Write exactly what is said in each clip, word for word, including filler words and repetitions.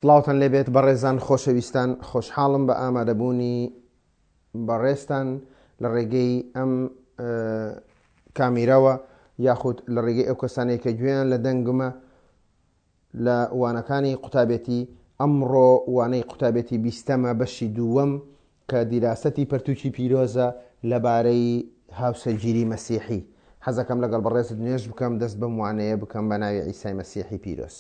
سڵاوتان لێبێت بەڕێزان خۆشەویستان، خۆشحاڵم بە ئامادەبوونی بەڕێزتان لە ڕێگەی ئەم کامیرەوە یاخود لە ڕێگەی ئەو کەسانەی کە گوێیان لە دەنگمە لە وانەکانی قوتابێتی. ئەمڕۆ وانەی قوتابێتی بیستەمە بەشی دووەم کە دیراسەتی پەرتوکی پیرۆزە لەبارەی هاوسەرگیری مەسیحی. حەزەکەم لەگەڵ بەڕێزت نوێژ بکەم، دەست بەم وانەیە بکەم بە ناوی عیسای مەسیحی پیرۆز.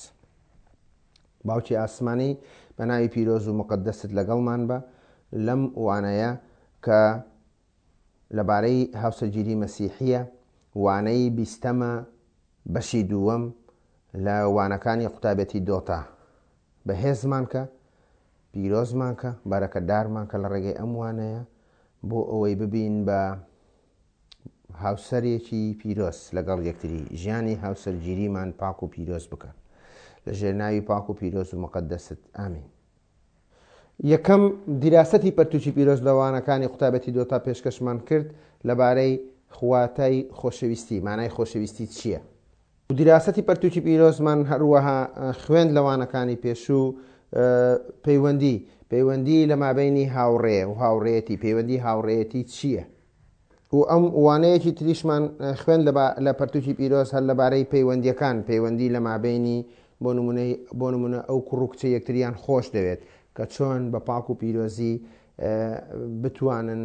باوکی ئاسمانی بە ناوی پیرۆز و مقدست لەگەڵمان بە لەم وانەیە کە لەبارەی هاوسەرگیری مەسیحیە، وانەی بیستەمە بەشی دووەم لە وانەکانی قوتابێتی دۆتا. بەهێزمان کە، پیرۆزمان کە، بەرەکەدارمان کە لە ڕێگەی ئەم وانەیە بۆ ئەوەی ببین بە هاوسەرێکی پیرۆز لەگەڵ یەکتری، ژیانی هاوسەرگیریمان پاک و پیرۆز بکە لە ژێرناوی پاک و پیرۆز و مقدست. ئامین. یەکەم دیراسەتی پەرتوکی پیرۆز لە وانەکانی قوتابەتی دۆتا پێشکەشمان کرد لەبارەی خواتای خۆشەویستی، مانای خۆشەویستی چییە؟ دیراسەتی پەرتوکی پیرۆزمان هەروەها خوێند لە وانەکانی پێشوو پەیوەندی، پەیوەندی لە مابینی هاوڕێ و هاوڕێتی، پەیوەندی هاوڕێتی چییە؟ و ئەم وانەیەکی تریشمان خوێند لە پەرتوکی پیرۆز هەر لەبارەی پەیوەندیەکان، پەیوەندی لە مابینی بۆ نمونەی بۆ نمونە ئەو کوڕ و کچە یەکتریان خۆش دەوێت کە چۆن بە پاک و پیرۆزی بتوانن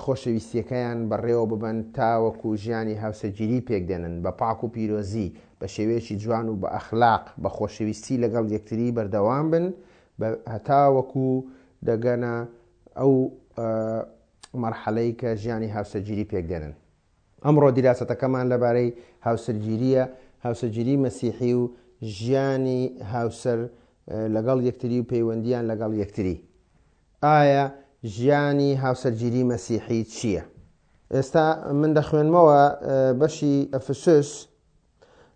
خۆشەویستیەکەیان بەڕێوە ببەن تاوەکو ژیانی هاوسەرگیری پێک دێنن بە پاک و پیرۆزی بە شێوەیەکی جوان و بە ئەخلاق بە خۆشەویستی لەگەڵ یەکتری بەردەوام بن هەتاوەکو دەگەنە ئەو مەرحەلەی کە ژیانی هاوسەرگیری پێک دێنن. ئەمڕۆ دیراسەتەکەمان لەبارەی هاوسەرگیریە، هاوسەرگیری مەسیحی و ژیانی هاوسەر لەگەڵ یەکتری و پەیوەندیان لەگەڵ یەکتری. ئایا ژیانی هاوسەرگیری مەسیحی چییە؟ ئێستا من دەخوێنمەوە بەشی ئەفسوس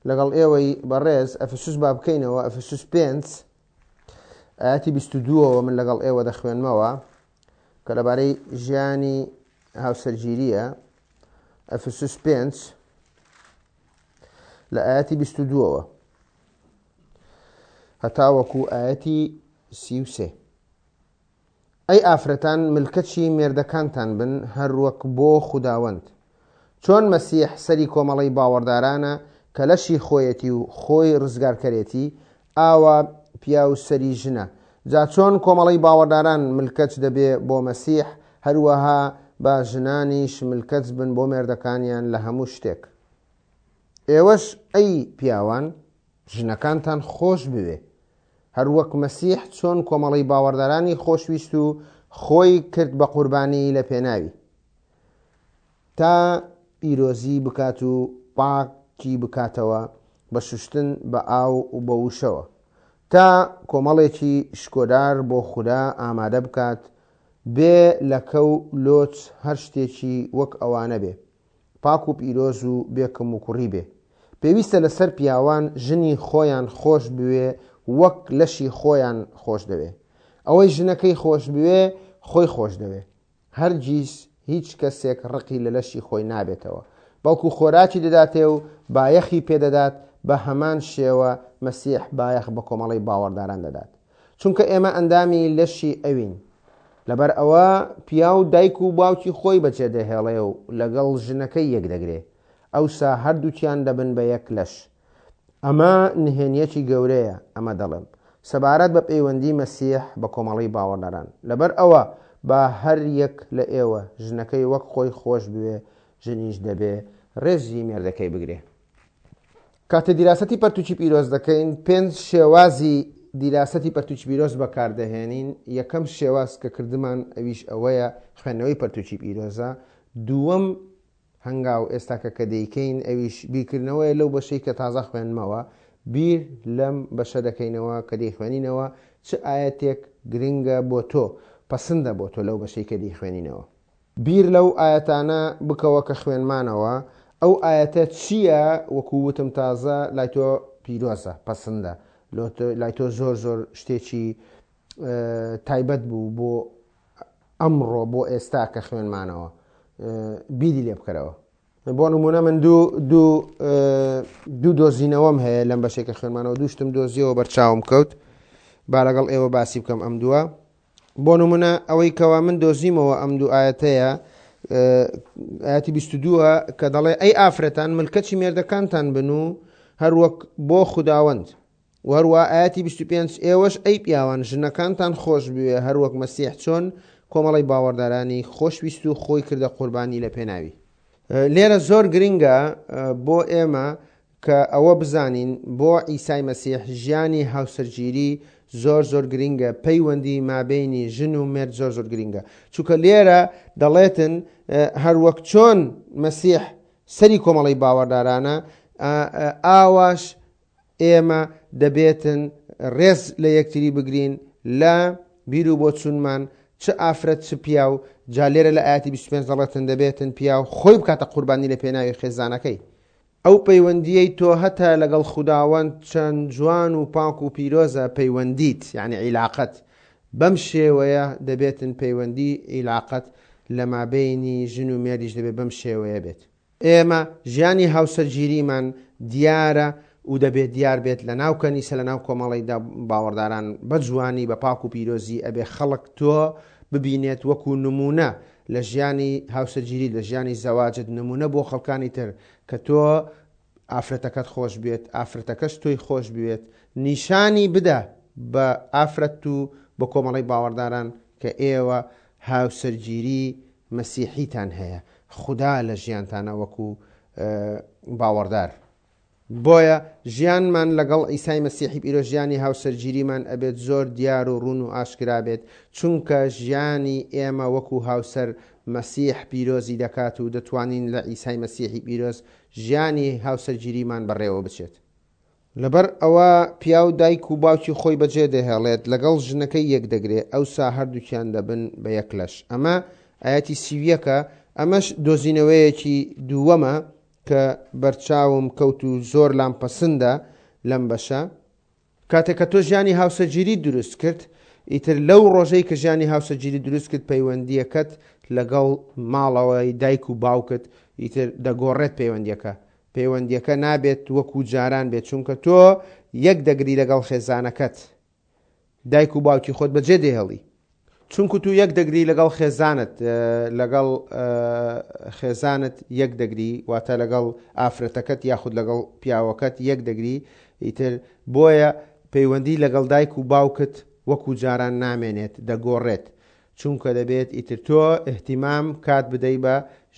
لەگەڵ ئێوەی بەڕێز. ئەفسوس با بکەینەوە، ئەفسوس پێنج ئاەتی بیست و دووەوە من لەگەڵ ئێوە دەخوێنمەوە کە لەبارەی ژیانی هاوسەرگیریە. ئەفسوس پێنج لە ئاەتی بیست و دووەوە هەتاوەکو ئاەتی سی و سێ. ئەی ئافرەتان ملکەچی مێردەکانتان بن هەروەک بۆ خوداوەند، چۆن مەسیح سەری کۆمەڵەی باوەڕدارانە کە لەشی خۆیەتی و خۆی ڕزگارکەرێتی، ئاوا پیاو سەری ژنە. جا چۆن کۆمەڵەی باوەڕداران ملکەچ دەبێ بۆ مەسیح، هەروەها با ژنانیش ملکەچ بن بۆ مێردەکانیان لە هەموو شتێک. ئێوەش ئەی پیاوان ژنەکانتان خۆش بوێ، هەروەک مەسیح چۆن کۆمەڵەی باوەڕدارانی خۆشویست و خۆی کرد بە قوربانی لە پێناوی، تا پیرۆزی بکات و پاکی بکاتەوە بە شوشتن بە ئاو و بە وشەوە، تا کۆمەڵێکی شکۆدار بۆ خودا ئامادە بکات، بێ لەکە و لۆچ هەر شتێکی وەک ئەوانە بێ، پاک و پیرۆز و بێکەم و کوڕی بێ. پێویستە لەسەر پیاوان ژنی خۆیان خۆش بوێ وەک لەشی خۆیان خۆش دەوێ. ئەوەی ژنەکەی خۆش بوێ خۆی خۆش دەوێ. هەرگیز هیچ کەسێک ڕقی لە لەشی خۆی نابێتەوە، بەڵکو خۆراکی دەداتێ و بایەخی پێدەدات. بە هەمان شێوە مەسیح بایەخ بە کۆمەڵەی باوەڕداران دەدات، چونکە ئێمە ئەندامی لەشی ئەوین. لەبەر ئەوە پیاو دایک و باوکی خۆی بەجێ دەهێڵێ و لەگەڵ ژنەکەی یەک دەگرێ، ئەوسا هەردووکیان دەبن بە یەک لەش. ئەمە نهێنیەکی گەورەیە، ئەمە دەڵێم سەبارەت بە پەیوەندی مەسیح بە کۆمەڵەی باوەڕداران. لەبەر ئەوە با هەر یەک لە ئێوە ژنەکەی وەک خۆی خۆش بوێ، ژنیش دەبێ ڕێزی مێردەکەی بگرێ. کاتێ دیراسەتی پەرتوکی پیرۆز دەکەین، پێنج شێوازی دیراسەتی پەرتوکی پیرۆز بەکاردەهێنین. یەکەم شێواز کە کردمان ئەویش ئەوەیە خوێندنەوەی پەرتوکی پیرۆزە. دووەم هەنگاو ئێستاکە کە دەیکەین ئەویش بیرکردنەوەیە لەو بەشەی کە تازە خوێنمەوە، بیر لەم بەشە دەکەینەوە کە دەیخوێنینەوە چ ئاەتێک گرنگە بۆ تۆ، پەسەندە بۆ تۆ لەو بەشەی کە دەیخوێنینەوە. بیر لەو ئاەتانە بکەوە کە خوێنمانەوە، ئەو ئاەتە چییە وەکو وتم تازە لای تۆ پیرۆزە، پەسەندە، لای تۆ زۆر زۆر شتێکی تایبەت بوو بۆ ئەمڕۆ بۆ ئێستا کە خوێنمانەوە، بیری لێ بکەرەوە. بۆ نمونە من دوو دوو دوو دۆزینەوەم هەیە لەم بەشێکە خوێنمانەوە، دوو شتم دۆزیەوە بەرچاوم کەوت. با لەگەڵ ئێوە باسی بکەم ئەم دووە. بۆ نمونە ئەوەی کەوا من دۆزیمەوە ئەم دوو ئاەتەیە، ئاەتی بیست و دووە کە دەڵێ ئەی ئافرەتان ملکەچی مێردەکانتان بن و هەروەک بۆ خوداوەند. و هەروە ئاەتی بیست و پێنج ئێوەش ئەی پیاوان ژنەکانتان خۆش بوێ هەروەک مەسیح چۆن کۆمەڵی باوەڕدارانی خۆشویست و خۆی کردە قوربانی لە پێناوی. لێرە زۆر گرنگە بۆ ئێمە کە ئەوە بزانین بۆ عیسای مەسیح ژیانی هاوسەرگیری زۆر زۆر گرنگە، پەیوەندی مابینی ژن و مێرد زۆر زۆر گرنگە. چونکە لێرە دەڵێتن هەروەک چۆن مەسیح سەری کۆمەڵی باوەڕدارانە، ئاواش ئێمە دەبێتن ڕێز لە یەکتری بگرین لە بیر و بۆچوونمان، چ ئافرەت چ پیاو. جا لێرە لە ئاەتی بیست و پێنج دەڵێتن دەبێتن پیاو خۆی بکاتە قوربانی لە پێناوی خێزانەکەی. ئەو پەیوەندیەی تۆ هەتا لەگەڵ خوداوەند چەند جوان و پاک و پیرۆزە پەیوەندیت، یعنی عیلاقەت بەم شێوەیە دەبێتن پەیوەندی عیلاقەت لە مابینی ژن و مێردیش دەبێت بەم شێوەیە بێت. ئێمە ژیانی هاوسەرگیریمان دیارە و دەبێت دیار بێت لە ناو کەنیسە، لە ناو کۆمەڵیدا باوەڕداران بە جوانی بە پاک و پیرۆزی ئەبێ خەڵک تۆ ببینێت وەکو نمونە لە ژیانی هاوسەرگیری، لە ژیانی زەواجت، نمونە بۆ خەڵکانی تر کە تۆ ئافرەتەکەت خۆش بێت، ئافرەتەکەش تۆی خۆش بێت، نیشانی بدە بە ئافرەت و بە کۆمەڵی باوەڕداران کە ئێوە هاوسەرگیری مەسیحیتان هەیە، خوددا لە ژیانتانە وەکو باوەڕدار. بۆیە ژیانمان لەگەڵ ئیسای مەسیحی پیرۆز ژیانی هاوسەرگیریمان ئەبێت زۆر دیار و ڕوون و ئاشکرا بێت، چونکە ژیانی ئێمە وەکو هاوسەر مەسیح پیرۆزی دەکات و دەتوانین لە ئیسای مەسیحی پیرۆز ژیانی هاوسەرگیریمان بەڕێوە بچێت. لەبەر ئەوە پیاو دایک و باوکی خۆی بەجێ دەهێڵێت، لەگەڵ ژنەکەی یەک دەگرێ، ئەوسا هەردووکیان دەبن بە یەک لەش. ئەمە ئاەتی سیویەکە، ئەمەش دۆزینەوەیەکی دووەمە کە بەرچاوم کەوت و زۆر لام پەسەندە لەم بەشە. کاتێک کە تۆ ژیانی هاوسەرگیری دروست کرد، ئیتر لەو ڕۆژەی کە ژیانی هاوسەرگیری دروست کرد پەیوەندیەکەت لەگەڵ ماڵەوەی دایک و باوکت ئیتر دەگۆڕێت پەیوەندیەکە. پەیوەندیەکە نابێت وەکو جاران بێت، چونکە تۆ یەک دەگری لەگەڵ خێزانەکەت، دایک و باوکی خۆت بەجێ دێهێڵی. چونکو تو یەک دەگری لەگەڵ خێزانت، لەگەڵ خێزانت یەک دەگری، واتە لەگەڵ ئافرەتەکەت یاخود لەگەڵ پیاوەکەت یەک دەگری، ئیتر بۆیە پەیوەندی لەگەڵ دایک و باوکت وەکو جاران نامێنێت، دەگۆڕێت. چونکە دەبێت ئیتر تۆ احتیمام کات بدەی بە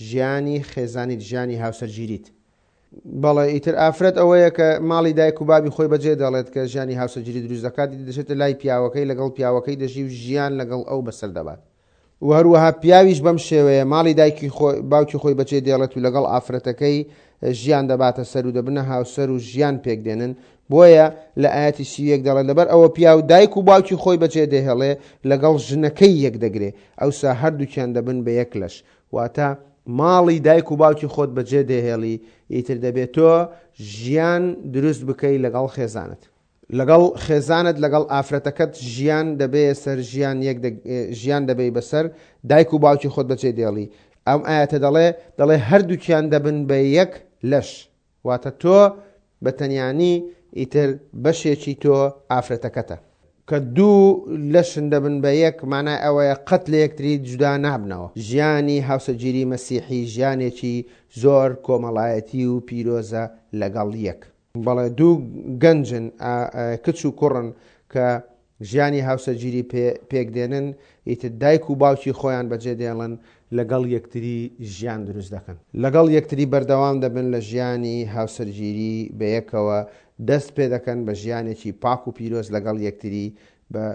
ژیانی خێزانیت، ژیانی هاوسەرگیریت. بەڵێ ئیتر ئافرەت ئەوەیە کە ماڵی دایک و بابی خۆی بەجێ دەڵێت کە ژیانی هاوسەرگیری دروست دەکات، دەچێتە لای پیاوەکەی، لەگەڵ پیاوەکەی دەژی و ژیان لەگەڵ ئەو بەسەر دەبات. و هەروەها پیاویش بەم شێوەیە ماڵی دایکی خۆی باوکی خۆی بەجێ دێڵێت و لەگەڵ ئافرەتەکەی ژیان دەباتە سەر و دەبنە هاوسەر و ژیان پێک دێنن. بۆیە لە ئاەتی سی یەک دەڵێت لەبەر ئەوە پیاو دایک و باوکی خۆی بەجێ دەهێڵێ لەگەڵ ژنەکەی یەک دەگرێ، ئەوسا هەردووکیان دەبن بە یەک لەش. واتە ماڵی دایک و باوکی خۆت بەجێ دەهێڵی، ئیتر دەبێت تۆ ژیان دروست بکەی لەگەڵ خێزانت، لەگەڵ خێزانت لەگەڵ ئافرەتەکەت ژیان دەبێ سەر ژیان یەک ژیان دەبێ بەسەر دایک و باوکی خۆت بەجێ دێڵی. ئەم ئاەتە دەڵێ دەڵێ هەردووکیان دەبن بە یەک لەش، واتە تۆ بە تەنیانی ئیتر بەشێکی تۆ ئافرەتەکەتە. کە دوو لەشن دەبن بە یەک، مانای ئەوەیە قەت لە یەکتری جودا نابنەوە. ژیانی هاوسەرگیری مەسیحی ژیانێکی زۆر کۆمەڵایەتی و پیرۆزە لەگەڵ یەک. بەڵێ دوو گەنجن، کچ و کوڕن کە ژیانی هاوسەرگیری پێک دێنن، ئیتر دایک و باوکی خۆیان بەجێ دێڵن، لەگەڵ یەکتری ژیان دروست دەکەن، لەگەڵ یەکتری بەردەوام دەبن لە ژیانی هاوسەرگیری بەیەکەوە، دەست پێ دەکەن بە ژیانێکی پاک و پیرۆز لەگەڵ یەکتری، بە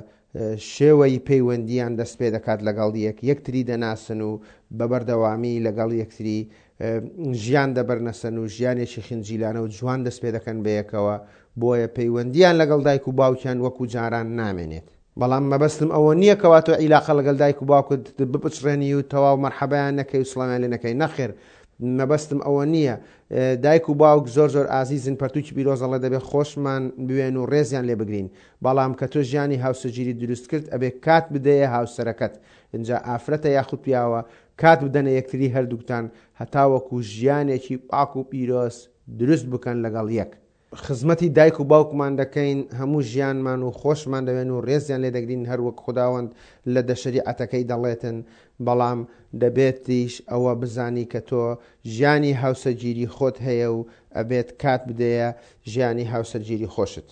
شێوەی پەیوەندیان دەست پێ دەکات لەگەڵ یەک، یەکتری دەناسن و بە بەردەوامی لەگەڵ یەکتری ژیان دەبەرنەسەن و ژیانێکی خنجیلانە و جوان دەست پێ دەکەن بەیەکەوە. بۆیە پەیوەندیان لەگەڵ دایک و باوکیان وەکو جاران نامێنێت. بەڵام مەبەستم ئەوە نییە کەوا تۆ عیلاقە لەگەڵ دایک و باوکت بپچڕێنی و تەواو مەرحەبایان نەکەی و سڵاویان لێ نەکەی، نەخێر مەبەستم ئەوە نییە. دایک و باوک زۆر زۆر ئازیزن، پەرتوکی پیرۆزەڵێ دەبێت خۆشمان بوێن و ڕێزیان لێ بگرین. بەڵام کە تۆ ژیانی هاوسەرگیری دروست کرد ئەبێ کات بدەیە هاوسەرەکەت، اینجا ئافرەتە یاخود پیاوە کات بدەنە یەکتری هەردووکتان هەتاوەکو ژیانێکی پاک و پیرۆز دروست بکەن لەگەڵ یەک. خزمەتی دایک و باوکمان دەکەین هەموو ژیانمان و خۆشمان دەوێن و ڕێزیان لێ دەگرین هەر وەک خوداوەند لە دە شەریعەتەکەی دەڵێتن، بەڵام دەبێتیش ئەوە بزانی کە تۆ ژیانی هاوسەرگیری خۆت هەیە و ئەبێت کات بدەیە ژیانی هاوسەرگیری خۆشت.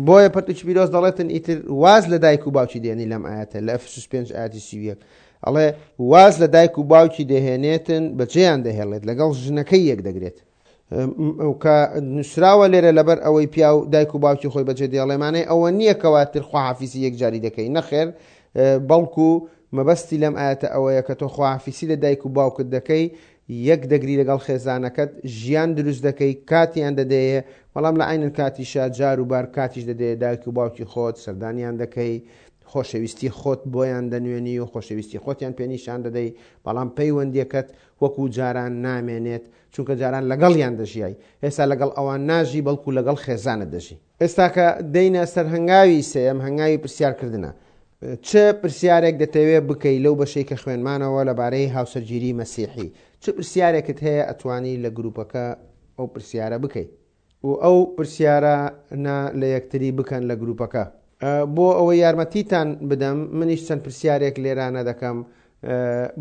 بۆیە پەرتوکی پیرۆز دەڵێتن ئیتر واز لە دایک و باوکی دێنی لەم ئاەتە لە ئەفسوس پێنج ئاەتی سی و یەک ئەڵێ واز لە دایک و باوکی دەهێنێتن بەجێیان دەهێڵێت لەگەڵ ژنەکەی یەک دەگرێت. کە نووسراوە لێرە لەبەر ئەوەی پیاو دایک و باوکی خۆی بەجێ دێڵێمانەی ئەوە نییە کەواتر خواحافیزی یەکجاری دەکەی، نەخێر، بەڵکو مەبەستی لەم ئاەتە ئەوەیە کە تۆ خواحافیزی لە دایک و باوکت دەکەی، یەک دەگری لەگەڵ خێزانەکەت، ژیان دروست دەکەی، کاتیان دەدەیە، بەڵام لە عینن کاتیشا جار و بار کاتیش دەدەیە دایک و باوکی خۆت، سەردانیان دەکەی، خۆشەویستی خۆت بۆیان دەنوێنی و خۆشەویستی خۆتیان پێنیشان دەدەی، بەڵام پەیوەندیەکەت وەکو جاران نامێنێت، چونکە جاران لەگەڵیان دەژیای، ئێستا لەگەڵ ئەوان ناژی بەڵکو لەگەڵ خێزانت دەژی. ئێستا کە دەینە سەر هەنگاوی سێیەم، هەنگاوی پرسیارکردنە. چ پرسیارێک دەتەوێت بکەی لەو بەشەی کە خوێنمانەوە لەبارەی هاوسەرگیری مەسیحی؟ چ پرسیارێکت هەیە ئەتوانی لە گروپەکە ئەو پرسیارە بکەی و ئەو پرسیارە نا لە یەکتری بکەن لە گروپەکە. بۆ ئەوەی یارمەتیتان بدەم منیش چەند پرسیارێک لێرانە دەکەم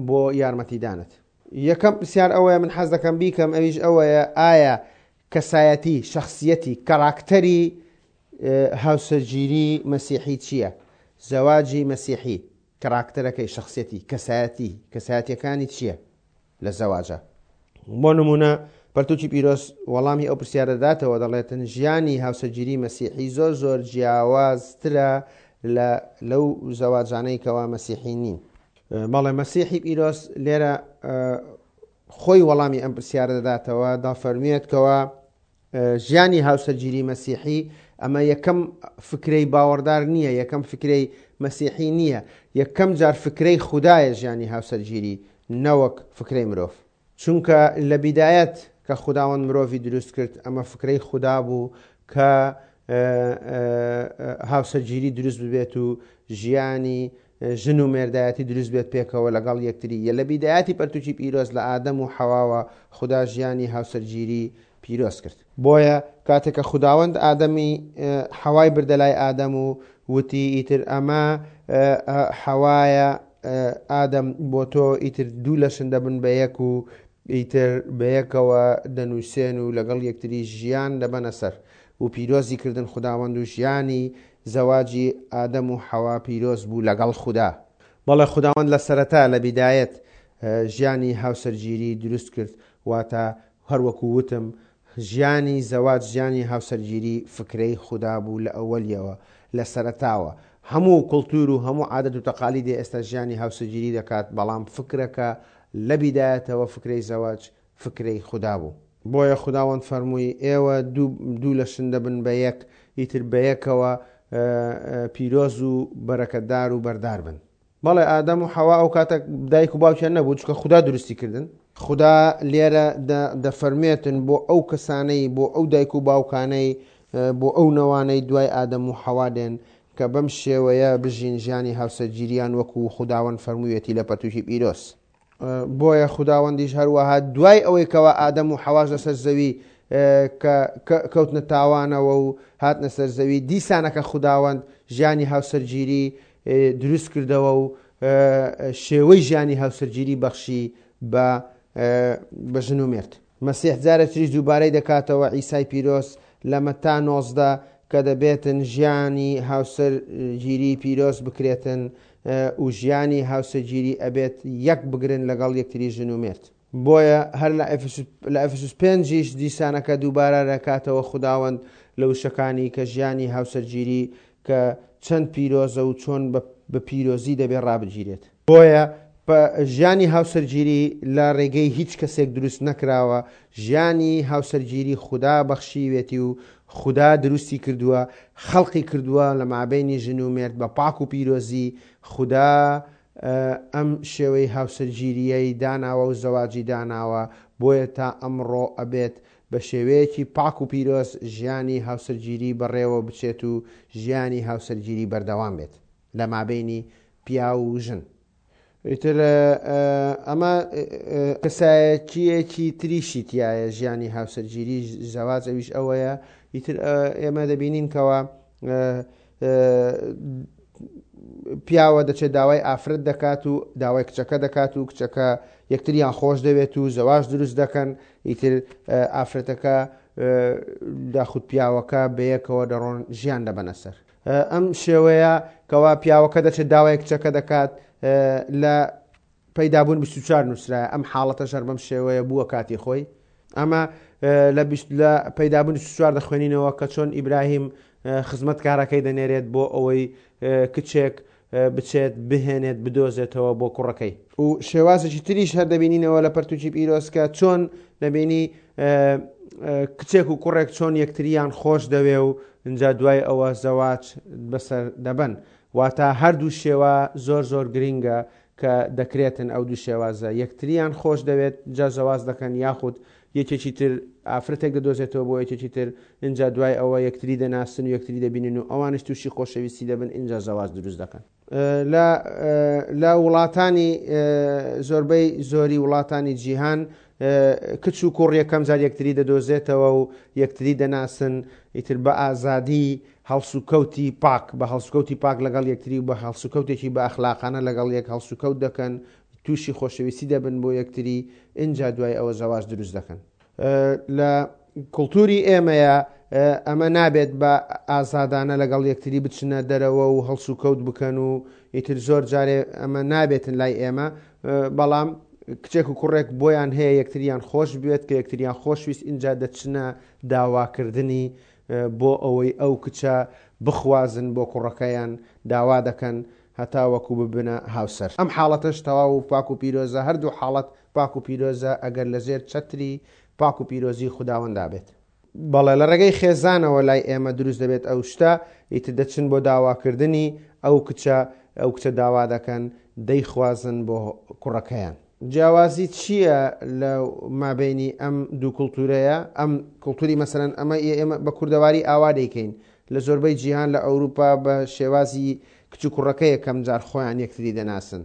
بۆ یارمەتیدانت. یەکەم پرسیار ئەوەیە من حەز دەکەم بیکەم، ئەویش ئەوەیە ئایا کەسایەتی، شخصیەتی، کاراکتەری هاوسەرگیری مەسیحی چییە؟ زەواجی مەسیحی، کاراکتەرەکەی، شخصیەتی، کەسایەتی، کەسایەتیەکانی چییە لە زەواجە؟ بۆ نمونە پەرتوکی پیرۆز وەڵامی ئەو پرسیارە داتەوە، دەڵێتن ژیانی هاوسەرگیری مەسیحی زۆر زۆر جیاوازترە لە لەو زەواجانەی کەوا مەسیحی نین. بەڵێ مەسیحی پیرۆز لێرە خۆی وەڵامی ئەم پرسیارە دەداتەوە، دافەرموێت کەوا ژیانی هاوسەرگیری مەسیحی ئەمە یەکەم فکرەی باوەڕدار نییە، یەکەم فکرەی مەسیحی نییە، یەکەم جار فکرەی خودایە ژیانی هاوسەرگیری نەوەک فکرەی مرۆڤ. چونکە لە بیدایەت کە خوداوەند مرۆڤی دروست کرد ئەمە فکرەی خودا بوو کە هاوسەرگیری دروست ببێت و ژیانی ژن و مێردایەتی دروست بێت پێکەوە لەگەڵ یەکتری. لە بیدایەتی پەرتوکی پیرۆز لە ئادەم و حەواوە خودا ژیانی هاوسەرگیری پیرۆز کرد. بۆیە کاتێک کە خوداوەند ئادەمی حەوای بردە لای ئادەم و وتی ئیتر ئەمە حەوایە ئادەم بۆ تۆ ئیتر دوو لەشن دەبن بە یەک و ئیتر بەیەکەوە دەنووسێن و لەگەڵ یەکتری ژیان دەبەنە سەر و پیرۆزی کردن خوداوەند و ژیانی زەواجی ئادەم و حەوا پیرۆز بوو لەگەڵ خودا. بەڵێ خوداوەند لە سەرەتا لە بیدایەت ژیانی هاوسەرگیری دروست کرد، واتە هەروەکو وتم ژیانی زەواج، ژیانی هاوسەرگیری فکرەی خودا بوو لە ئەوەلیەوە، لە سەرەتاوە. هەموو کولتور و هەموو عادەت و تەقالیدی ئێستا ژیانی هاوسەرگیری دەکات، بەڵام فکرەکە لە بیدایەتەوە فکرەی زەواج فکرەی خودا بوو. بۆیە خوداوەند فەرمووی ئێوە دوو لەشن دەبن بە یەک، ئیتر بە یەکەوە پیرۆز و بەرەکەتدار و بەردار بن. بەڵێ ئادەم و حەوا ئەو کاتە دایک و باوکیان نەبوو، چونکە خودا دروستی کردن. خودا لێرە دەفەرمێتن بۆ ئەو کەسانەی، بۆ ئەو دایک و باوکانەی، بۆ ئەو نەوانەی دوای ئادەم و حەوا دێن کە بەم شێوەیە بژین ژیانی هاوسەرگیریان وەکو خوداوەند فەرموویەتی لە پەرتوکی پیرۆز. بۆیە خوداوەندیش هەروەها دوای ئەوەی کەوا ئادەم و حەواش لەسەر زەوی کە کەوتنە تاوانەوە و هاتنە سەر زەوی، دیسانەکە خوداوەند ژیانی هاوسەرگیری دروست کردەوە و شێوەی ژیانی هاوسەرگیری بەخشی بە ژن و مێرد. مەسیح جارێکتریش دووبارەی دەکاتەوە عیسای پیرۆز لە مەتا نۆزدە کە دەبێتن ژیانی هاوسەرگیری پیرۆز بکرێتن و ژیانی هاوسەرگیری ئەبێت یەک بگرن لەگەڵ یەکتری ژن و مێرد. بۆیە هەر لە ئەفسوس پێنجیش دیسانەکە دووبارە دەکاتەوە خوداوەند لە وشەکانی کە ژیانی هاوسەرگیری کە چەند پیرۆزە و چۆن بە پیرۆزی دەبێت ڕابگیرێت. بۆیە ژیانی هاوسەرگیری لە ڕێگەی هیچ کەسێک دروست نەکراوە، ژیانی هاوسەرگیری خودا بەخشیوێتی و خودا دروستی کردووە، خەڵقی کردووە لە مابەینی ژن و مێرد بە پاک و پیرۆزی. خودا ئەم شێوەی هاوسەرگیریەی داناوە و زەواجی داناوە، بۆیە تا ئەمڕۆ ئەبێت بە شێوەیەکی پاک و پیرۆز ژیانی هاوسەرگیری بەڕێوە بچێت و ژیانی هاوسەرگیری بەردەوام بێت لە مابەینی پیاو و ژن. ئیتر ئەمە کەسایەتیەکی تریشی تایە ژیانی هاوسەرگیری زەواج، ئەویش ئەوەیە ئیتر ئێمە دەبینین کەوا پیاوە دەچێت داوای ئافرەت دەکات و داوای کچەکە دەکات و کچەکە یەکتریان خۆش دەوێت و زەواج دروست دەکەن. ئیتر ئافرەتەکە داخود پیاوەکە بەیەکەوە دەڕۆن ژیان دەبەنە سەر. ئەم شێوەیە کەوا پیاوەکە دەچێت داوای کچەکە دەکات لە پەیدابوون بیست و چوار نووسرایە. ئەم حاڵەتە ژەر بەم شێوەیە بووە کاتی خۆی. ئەمە لە پەیدابوون بیست و چوار دەخوێنینەوە کە چۆن ئیبراهیم خزمەتکارەکەی دەنێرێت بۆ ئەوەی کچێک بچێت بهێنێت بدۆزێتەوە بۆ کوڕەکەی. و شێوازێکی تریش هەر دەبینینەوە لە پەرتوکی پیرۆز کە چۆن دەبینی کچێک و کوڕێک چۆن یەکتریان خۆش دەوێ و اینجا دوای ئەوە زەواج بەسەر دەبەن. واتە هەردوو شێوە زۆر زۆر گرنگە کە دەکرێتن ئەو دوو شێوازە، یەکتریان خۆش دەوێت جا زەواج دەکەن، یاخود یەکێکی تر ئافرەتێک دەدۆزێتەوە بۆ یەکێکی تر، اینجا دوای ئەوە یەکتری دەناسن و یەکتری دەبینن و ئەوانش تووشی خۆشەویستی دەبن، اینجا زەواج دروست دەکەن. لە وڵاتانی زۆربەی زۆری وڵاتانی جیهان کچ و کوڕ یەکەم جار یەکتری دەدۆزێتەوە و یەکتری دەناسن، ئیتر بە ئازادی هەڵسوکەوتی پاک، بە هەڵسوکەوتی پاک لەگەڵ یەکتری و بە هەڵسوکەوتێکی بە ئەخلاقانە لەگەڵ یەک هەڵسوکەوت دەکەن، تووشی خۆشەویستی دەبن بۆ یەکتری، ئینجا دوای ئەوە زەواج دروست دەکەن. لە کولتوری ئێمەیە ئەمە نابێت بە ئازادانە لەگەڵ یەکتری بچنە دەرەوە و هەڵسوکەوت بکەن و ئیتر زۆر جارێ ئەمە نابێتن لای ئێمە، بەڵام کچێک و کوڕێک بۆیان هەیە یەکتریان خۆش بێت، کە یەکتریان خۆشویست ئینجا دەچنە داواکردنی بۆ ئەوەی ئەو کچە بخوازن بۆ کوڕەکەیان داوا دەکەن هەتا وەکو ببنە هاوسەر. ئەم حاڵەتەش تەواو و پاک و پیرۆزە، هەردوو حاڵەت پاک و پیرۆزە ئەگەر لەژێر چەتری پاک و پیرۆزی خوداوەندا بێت. بەڵێ لە ڕێگەی خێزانەوە لای ئێمە دروست دەبێت ئەو شتە، ئیتر دەچن بۆ داواکردنی ئەو کچە، ئەو کچە داوا دەکەن دەیخوازن بۆ کوڕەکەیان. جیاوازی چییە لە مابینی ئەم دوو کولتورەیە؟ ئەم کولتوری مەسەلەن ئەمە ئێمە بە کوردەواری ئاوا دەیکەین لە زۆربەی جیهان لە ئەوروپا بە شێوازی کچ و کوڕەکە یەکەم جار خۆیان یەکتری دەناسن.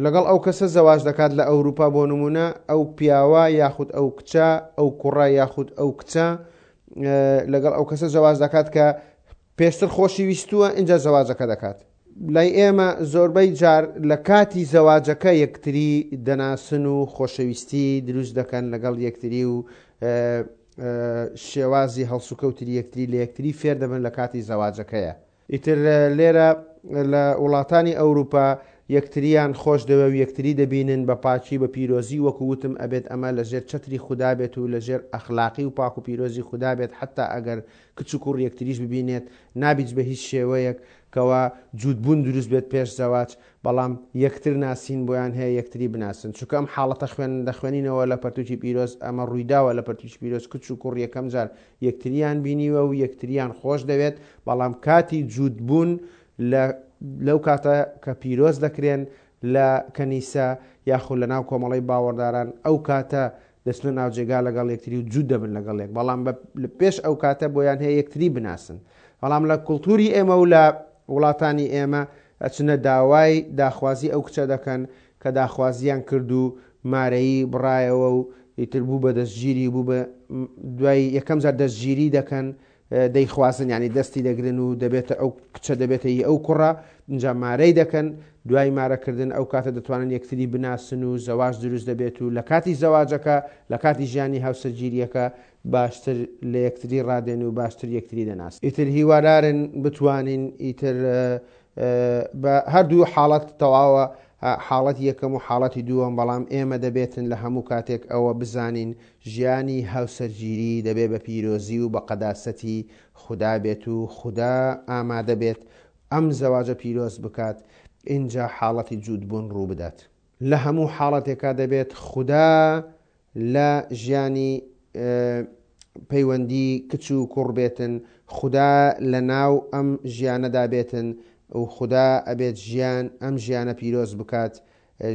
لەگەڵ ئەو کەسە زەواج دەکات لە ئەوروپا بۆ نمونە ئەو پیاوە یاخود ئەو کچە، ئەو کوڕە یاخود ئەو کچە لەگەڵ ئەو کەسە زەواج دەکات کە پێشتر خۆشی ویستووە ئینجا زەواجەکە دەکات. لای ئێمە زۆربەی جار لە کاتی زەواجەکە یەکتری دەناسن و خۆشەویستی دروست دەکەن لەگەڵ یەکتری و شێوازی هەڵسوکەوتری یەکتری لە یەکتری فێر دەبن لە کاتی زەواجەکەیە. ئیتر لێرە لە وڵاتانی ئەوروپا یەکتریان خۆش دەوێ و یەکتری دەبینن بە پاکی بە پیرۆزی، وەکو وتم ئەبێت ئەمە لەژێر چەتری خودا بێت و لەژێر ئەخلاقی و پاک و پیرۆزی خودا بێت. حتا ئەگەر کچ و کوڕ یەکتریش ببینێت نابیت بە هیچ شێوەیەک کەوا جوودبوون دروست بێت پێش زەواج، بەڵام یەکتر ناسین بۆیان هەیە یەکتری بناسن. چونکە ئەم حاڵەتە خوێن دەخوێنینەوە لە پەرتوکی پیرۆز، ئەمە ڕوویداوە لە پەرتوکی پیرۆز، کچ و کوڕ یەکەم جار یەکتریان بینیوە و یەکتریان خۆش دەوێت، بەڵام کاتی جوودبوون لە لەو کاتە کە پیرۆز دەکرێن لە کەنیسە یاخود لە ناو کۆمەڵەی باوەڕداران، ئەو کاتە دەچنە ناوجێگا لەگەڵ یەکتری و جوود دەبن لەگەڵ یەک، بەڵام پێش ئەو کاتە بۆیان هەیە یەکتری بناسن. بەڵام لە کولتوری ئێمە و لە وڵاتانی ئێمە ئەچنە داوای داخوازی ئەو کچە دەکەن کە داخوازیان کرد و مارەیی بڕایەوە و ئیتر بوو بە دەستگیری، بوو بە دوای یەکەم جار دەستگیری دەکەن، دەیخوازن، یعنی دەستی دەگرن و دەبێتە ئەو کچە دەبێتە ئی ئەو کوڕە، اینجا مارەی دەکەن. دوای مارەکردن ئەو کاتە دەتوانن یەکتری بناسن و زەواج دروست دەبێت و لە کاتی زەواجەکە لە کاتی ژیانی هاوسەرگیریەکە باشتر لە یەکتری ڕادێن و باشتر یەکتری دەناسن. ئیتر هیوادارن بتوانین ئیتر بە هەردوو حاڵەت تەواوە، حاڵەتی یەکەم و حاڵەتی دووەم، بەڵام ئێمە دەبێتن لە هەموو کاتێک ئەوە بزانین ژیانی هاوسەرگیری دەبێت بە پیرۆزی و بە قەداسەتی خودا بێت و خودا ئامادە بێت ئەم زەواجە پیرۆز بکات، ئینجا حاڵەتی جوودبوون ڕوو بدات. لە هەموو حاڵەتێکا دەبێت خودا لە ژیانی پەیوەندی کچ و کوڕ بێتن، خودا لە ناو ئەم ژیانەدا بێتن و خودا ئەبێت ژیان ئەم ژیانە پیرۆز بکات،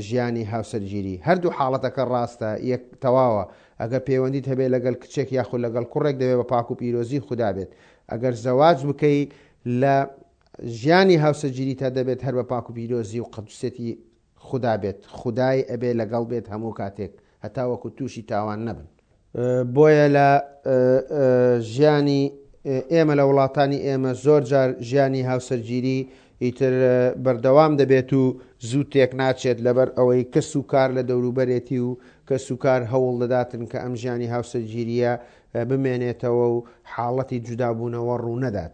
ژیانی هاوسەرگیری. هەردوو حاڵەتەکە ڕاستە، یەک تەواوە. ئەگەر پەیوەندیت هەبێت لەگەڵ کچێک یاخود لەگەڵ کوڕێک دەبێت بە پاک و پیرۆزی خودا بێت. ئەگەر زەواج بکەی لە ژیانی هاوسەرگیری تا دەبێت هەر بە پاک و پیرۆزی و قەدوسێتی خودا بێت، خودای ئەبێ لەگەڵ بێت هەموو کاتێک هەتا وەکو تووشی تاوان نەبن. بۆیە لە ژیانی ئێمە لە وڵاتانی ئێمە زۆر جار ژیانی هاوسەرگیری ئیتر بەردەوام دەبێت و زوو تێک ناچێت، لەبەر ئەوەی کەس و کار لە دەوروبەرێتی و کەس و کار هەوڵ دەداتن کە ئەم ژیانی هاوسەرگیریە بمێنێتەوە و حاڵەتی جودابوونەوە ڕوونەدات.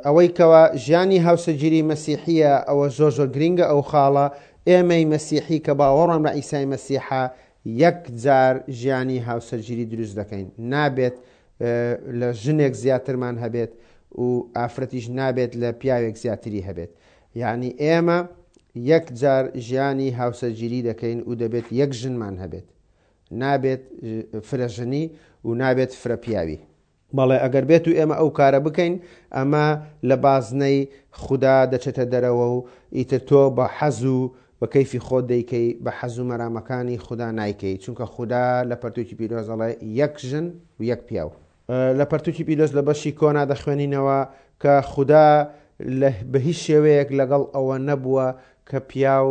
ئەوەی کەوا ژیانی هاوسەرگیری مەسیحیە ئەوە زۆر زۆر گرنگە ئەو خاڵە. ئێمەی مەسیحی کە باوەڕمان بە عیسای مەسیحە یەک جار ژیانی هاوسەرگیری دروست دەکەین، نابێت لە ژنێک زیاترمان هەبێت و ئافرەتیش نابێت لە پیاوێک زیاتری هەبێت. یعنی ئێمە یەک جار ژیانی هاوسەرگیری دەکەین و دەبێت یەک ژنمان هەبێت، نابێت فرە ژنی و نابێت فرە پیاوی. بەڵێ ئەگەر بێت و ئێمە ئەو کارە بکەین ئەمە لە بازنەی خودا دەچێتە دەرەوە و ئیتر تۆ بە حەز و بە کەیفی خۆت دەیکەی، بە حەز و مەرامەکانی خودا نایکەی، چونکە خودا لە پەرتوکی پیرۆز ئەڵێ یەک ژن و یەک پیاو. لە پەرتوکی پیرۆز لە بەشی کۆنا دەخوێنینەوە کە خودا بە هیچ شێوەیەک لەگەڵ ئەوە نەبووە کە پیاو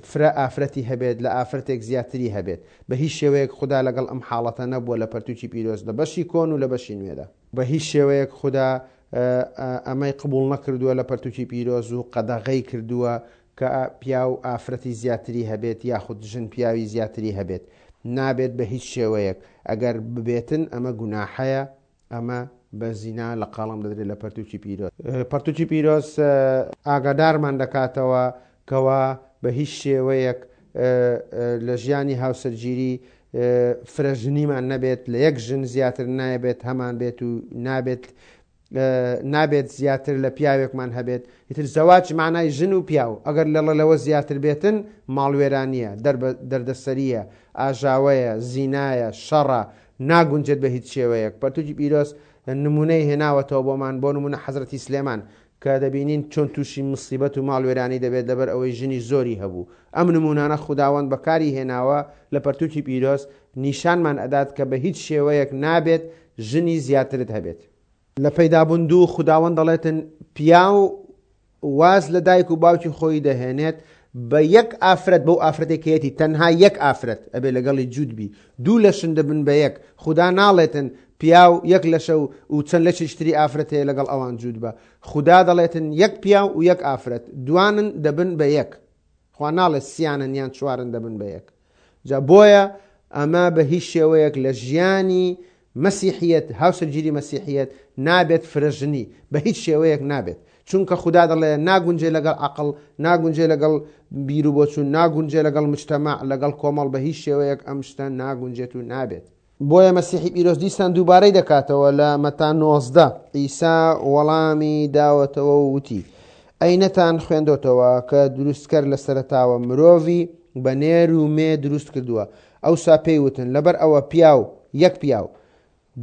فرە ئافرەتی هەبێت، لە ئافرەتێک زیاتری هەبێت. بە هیچ شێوەیەک خودا لەگەڵ ئەم حاڵەتە نەبووە لە پەرتوکی پیرۆز لە بەشی کۆن و لە بەشی نوێدا. بە هیچ شێوەیەک خودا ئەمەی قبوڵ نەکردووە لە پەرتوکی پیرۆز و قەدەغەی کردووە کە پیاو ئافرەتی زیاتری هەبێت یاخود ژن پیاوی زیاتری هەبێت. نابێت بە هیچ شێوەیەک. ئەگەر ببێتن ئەمە گوناحەیە، ئەمە بە زینا لە قاڵم دەدرێت لە پەرتوکی پیرۆز. پەرتوکی پیرۆز ئاگادارمان دەکاتەوە کەوا بە هیچ شێوەیەک لە ژیانی هاوسەرگیری فرە ژنیمان نەبێت، لە یەک ژن زیاتر نابێت هەمان بێت و نابێت نابێت زیاتر لە پیاوێکمان هەبێت. ئیتر زەواج معنای ژن و پیاو، ئەگەر لەڵە لەوە زیاتر بێتن ماڵوێرانیە، دەردەسەریە، ئاژاوەیە، زینایە، شەڕە، ناگونجێت بە هیچ شێوەیەک. پەرتوکی پیرۆز نمونەی هێناوەتەوە بۆمان، بۆ نمونە حەزرەتی سلێمان کە دەبینین چۆن تووشی مصیبەت و ماڵوێرانی دەبێت لەبەر ئەوەی ژنی زۆری هەبوو. ئەم نمونانە خوداوەند بەکاری هێناوە لە پەرتوکی پیرۆز، نیشانمان ئەدات کە بە هیچ شێوەیەک نابێت ژنی زیاترت هەبێت. لە پەیدابوون دوو خوداوەند دەڵێتن پیاو واز لە دایک و باوکی خۆی دەهێنێت بە یەک ئافرەت، بەو ئافرەتێکەیەتی تەنها یەک ئافرەت ئەبێ لەگەڵی جووت بی، دوو لەشن دەبن بە یەک. خودا ناڵێتن پیاو یەک لەشە و چەند لەشێکی ئافرەت هەیە لەگەڵ ئەوان جووت بە. خودا دەڵێتن یەک پیاو و یەک ئافرەت، دوانن دەبن بە یەک. خوا ناڵێت سیانن یان چوارن دەبن بە یەک. جا بۆیە ئەمە بە هیچ شێوەیەک لە ژیانی مەسیحیەت، هاوسەرگیری مەسیحیەت نابێت فرەژنی، بە هیچ شێوەیەک نابێت. چونکە خودا دەڵێ ناگونجێ لەگەڵ عەقڵ، ناگونجێ لەگەڵ بیر و بۆچوون، ناگونجێ لەگەڵ مجتەماع، لەگەڵ کۆمەڵ، بە هیچ شێوەیەک ئەم شتە ناگونجێت و نابێت. بۆیە مەسیحی پیرۆز دیسان دووبارەی دەکاتەوە لە مەتا نۆزدە عیسا وەڵامی داوەتەوە و وتی ئەی نەتان خوێندۆتەوە کە دروستکەر لە سەرەتاوە مرۆڤی بە نێر و مێ دروست کردووە؟ ئەوسا پێی وتن لەبەر ئەوە پیاو یەک پیاو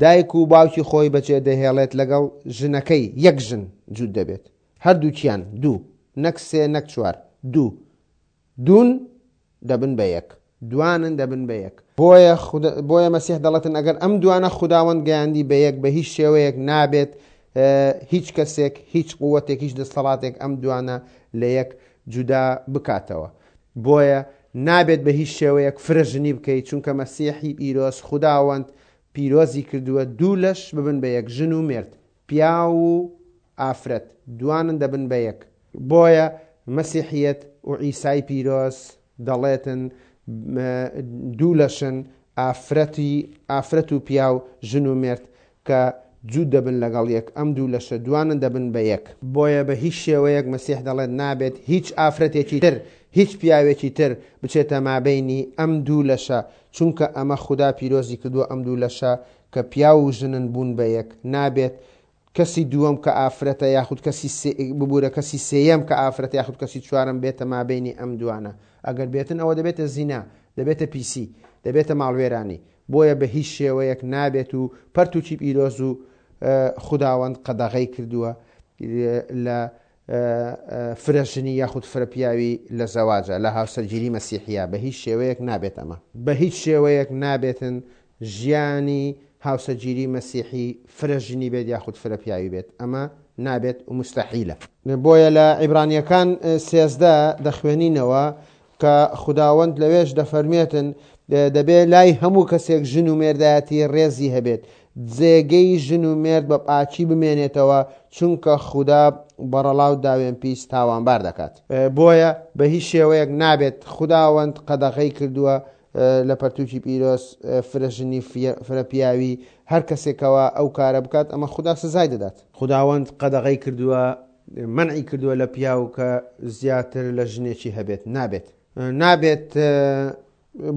دایک و باوکی خۆی بەجێ دەهێڵێت لەگەڵ ژنەکەی یەک ژن جووت دەبێت، هەردووکیان دوو، نەک سێ نەک چوار، دوو، دوون دەبن بە یەک، دوانن دەبن بە یەک. بۆیە بۆیە مەسیح دەڵێتن ئەگەر ئەم دوانە خوداوەند گەیاندی بە یەک، بە هیچ شێوەیەک نابێت هیچ کەسێک، هیچ قووەتێک، هیچ دەسەڵاتێک ئەم دوانە لە یەک جودا بکاتەوە. بۆیە نابێت بە هیچ شێوەیەک فرە ژنی بکەیت، چونکە مەسیحی پیرۆز خوداوەند پیرۆزی کردووە دوو لەش ببن بە یەک، ژن و مێرد، پیاو و ئافرەت، دوانن دەبن بە یەک. بۆیە مەسیحیەت و عیسای پیرۆز دەڵێتن دوو لەشن، ئافرەتی ئافرەت و پیاو، ژن و مێرد کە جووت دەبن لەگەڵ یەک، ئەم دوو لەشە دوانن دەبن بە یەک. بۆیە بە هیچ شێوەیەک مەسیح دەڵێت نابێت هیچ ئافرەتێکی تر، هیچ پیاوێکی تر بچێتە مابینی ئەم دوو لەشە، چونکە ئەمە خودا پیرۆزی کردووە ئەم دوو لەشە کە پیاو و ژنن بوون بە یەک. نابێت کەسی دووەم کە ئافرەتە یاخود کەسی ببوورە کەسی سێیەم کە ئافرەتە یاخود کەسی چوارەم بێتە مابینی ئەم دوانە. ئەگەر بێتن ئەوە دەبێتە زینا، دەبێتە پیسی، دەبێتە ماڵوێرانی. بۆیە بە هیچ شێوەیەک نابێت و پەرتوکی پیرۆز و خوداوەند قەدەغەی کردووە لە فرەژنی یاخود فرەپیاوی لە زەواجە، لە هاوسەرگیری مەسیحیە. بە هیچ شێوەیەک نابێت ئەمە، بە هیچ شێوەیەک نابێتن ژیانی هاوسەرگیری مەسیحی فرەژنی بێت یاخود فرەپیاوی بێت، ئەمە نابێت و مستەحیلە. بۆیە لە عیبرانیەکان سێزدە دەخوێنینەوە کە خوداوەند لەوێش دەفەرمێتن دەبێت لای هەموو کەسێک ژن و مێردایەتی ڕێزی هەبێت، جێگەی ژن و مێرد بە پاکی بمێنێتەوە، چونکە خودا بەڕەڵا و داوێن پیس تاوانبار دەکات. بۆیە بە هیچ شێوەیەک نابێت، خوداوەند قەدەغەی کردووە لە پەرتوکی پیرۆز فرەژنی فرە پیاوی، هەر کەسێکەوە ئەو کارە بکات ئەمە خودا سزای دەدات. خوداوەند قەدەغەی کردووە، منعی کردووە لە پیاو کە زیاتر لە ژنێکی هەبێت، نابێت نابێت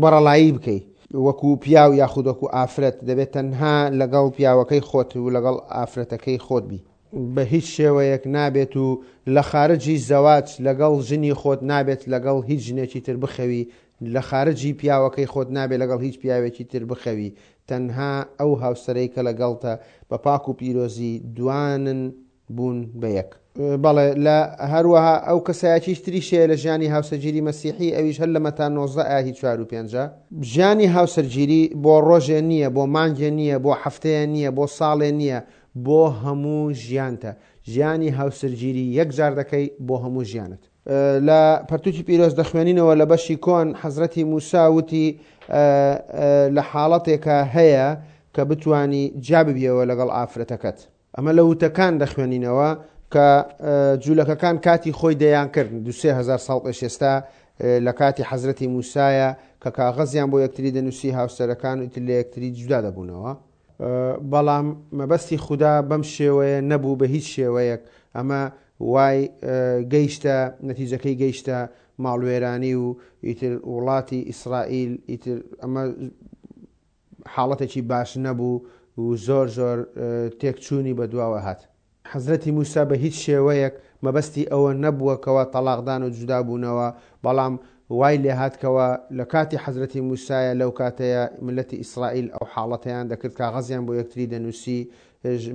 بەڕەڵایی بکەی وەکو پیاو یاخود وەکو ئافرەت، دەبێت تەنها لەگەڵ پیاوەکەی خۆت و لەگەڵ ئافرەتەکەی خۆت بی. بە هیچ شێوەیەک نابێت و لە خارجی زەواج لەگەڵ ژنی خۆت نابێت لەگەڵ هیچ ژنێکی تر بخەوی، لە خارجی پیاوەکەی خۆت نابێت لەگەڵ هیچ پیاوێکی تر بخەوی، تەنها ئەو هاوسەرەی کە لەگەڵتە بە پاک و پیرۆزی دوانن بوون بە یەک. بەڵێ لە هەروەها ئەو کەسایەتیش تریش هەیە لە ژیانی هاوسەرگیری مەسیحی، ئەویش هەر لە مەتا نۆزدە ئاهی چوار و پێنجە. ژیانی هاوسەرگیری بۆ ڕۆژێ نییە، بۆ مانگێ نییە، بۆ هەفتەیە نییە، بۆ ساڵێ نییە، بۆ هەموو ژیانتە. ژیانی هاوسەرگیری یەک جار دەکەی بۆ هەموو ژیانت. لە پەرتوکی پیرۆز دەخوێنینەوە لە بەشی کۆن حەزرەتی موسا وتی لە حاڵەتێکە هەیە کە بتانی جیا ببیەوە لەگەڵ ئافرەتەکەت. ئەمە لە وتەکان دەخوێنینەوە کە جوولەکەکان کاتی خۆی دەیان کرد دو سێ هەزار ساڵ پێش ئێستا لە کاتی حەزرەتی موسایە کە کاغەزیان بۆ یەکتری دەنووسی هاوسەرەکان و ئیتر لە یەکتری جودا دەبوونەوە. بەڵام مەبەستی خودا بەم شێوەیە نەبوو بە هیچ شێوەیەک. ئەمە وای گەیشتە نەتیجەکەی گەیشتە ماڵوێرانی و ئیتر وڵاتی ئیسرائیل، ئیتر ئەمە حاڵەتێکی باش نەبوو و زۆر زۆر تێکچوونی بەدواوە هات. حەزرەتی موسا بە هیچ شێوەیەک مەبەستی ئەوە نەبووە کەوا تەلاقدان و جودابوونەوە، بەڵام وای لێهاتکەوە لە کاتی حەزرەتی موسایە لەو کاتەیە ملەتی ئیسرائیل ئەو حاڵەتەیان دەکرد، کاغەزیان بۆ یەکتری دەنووسی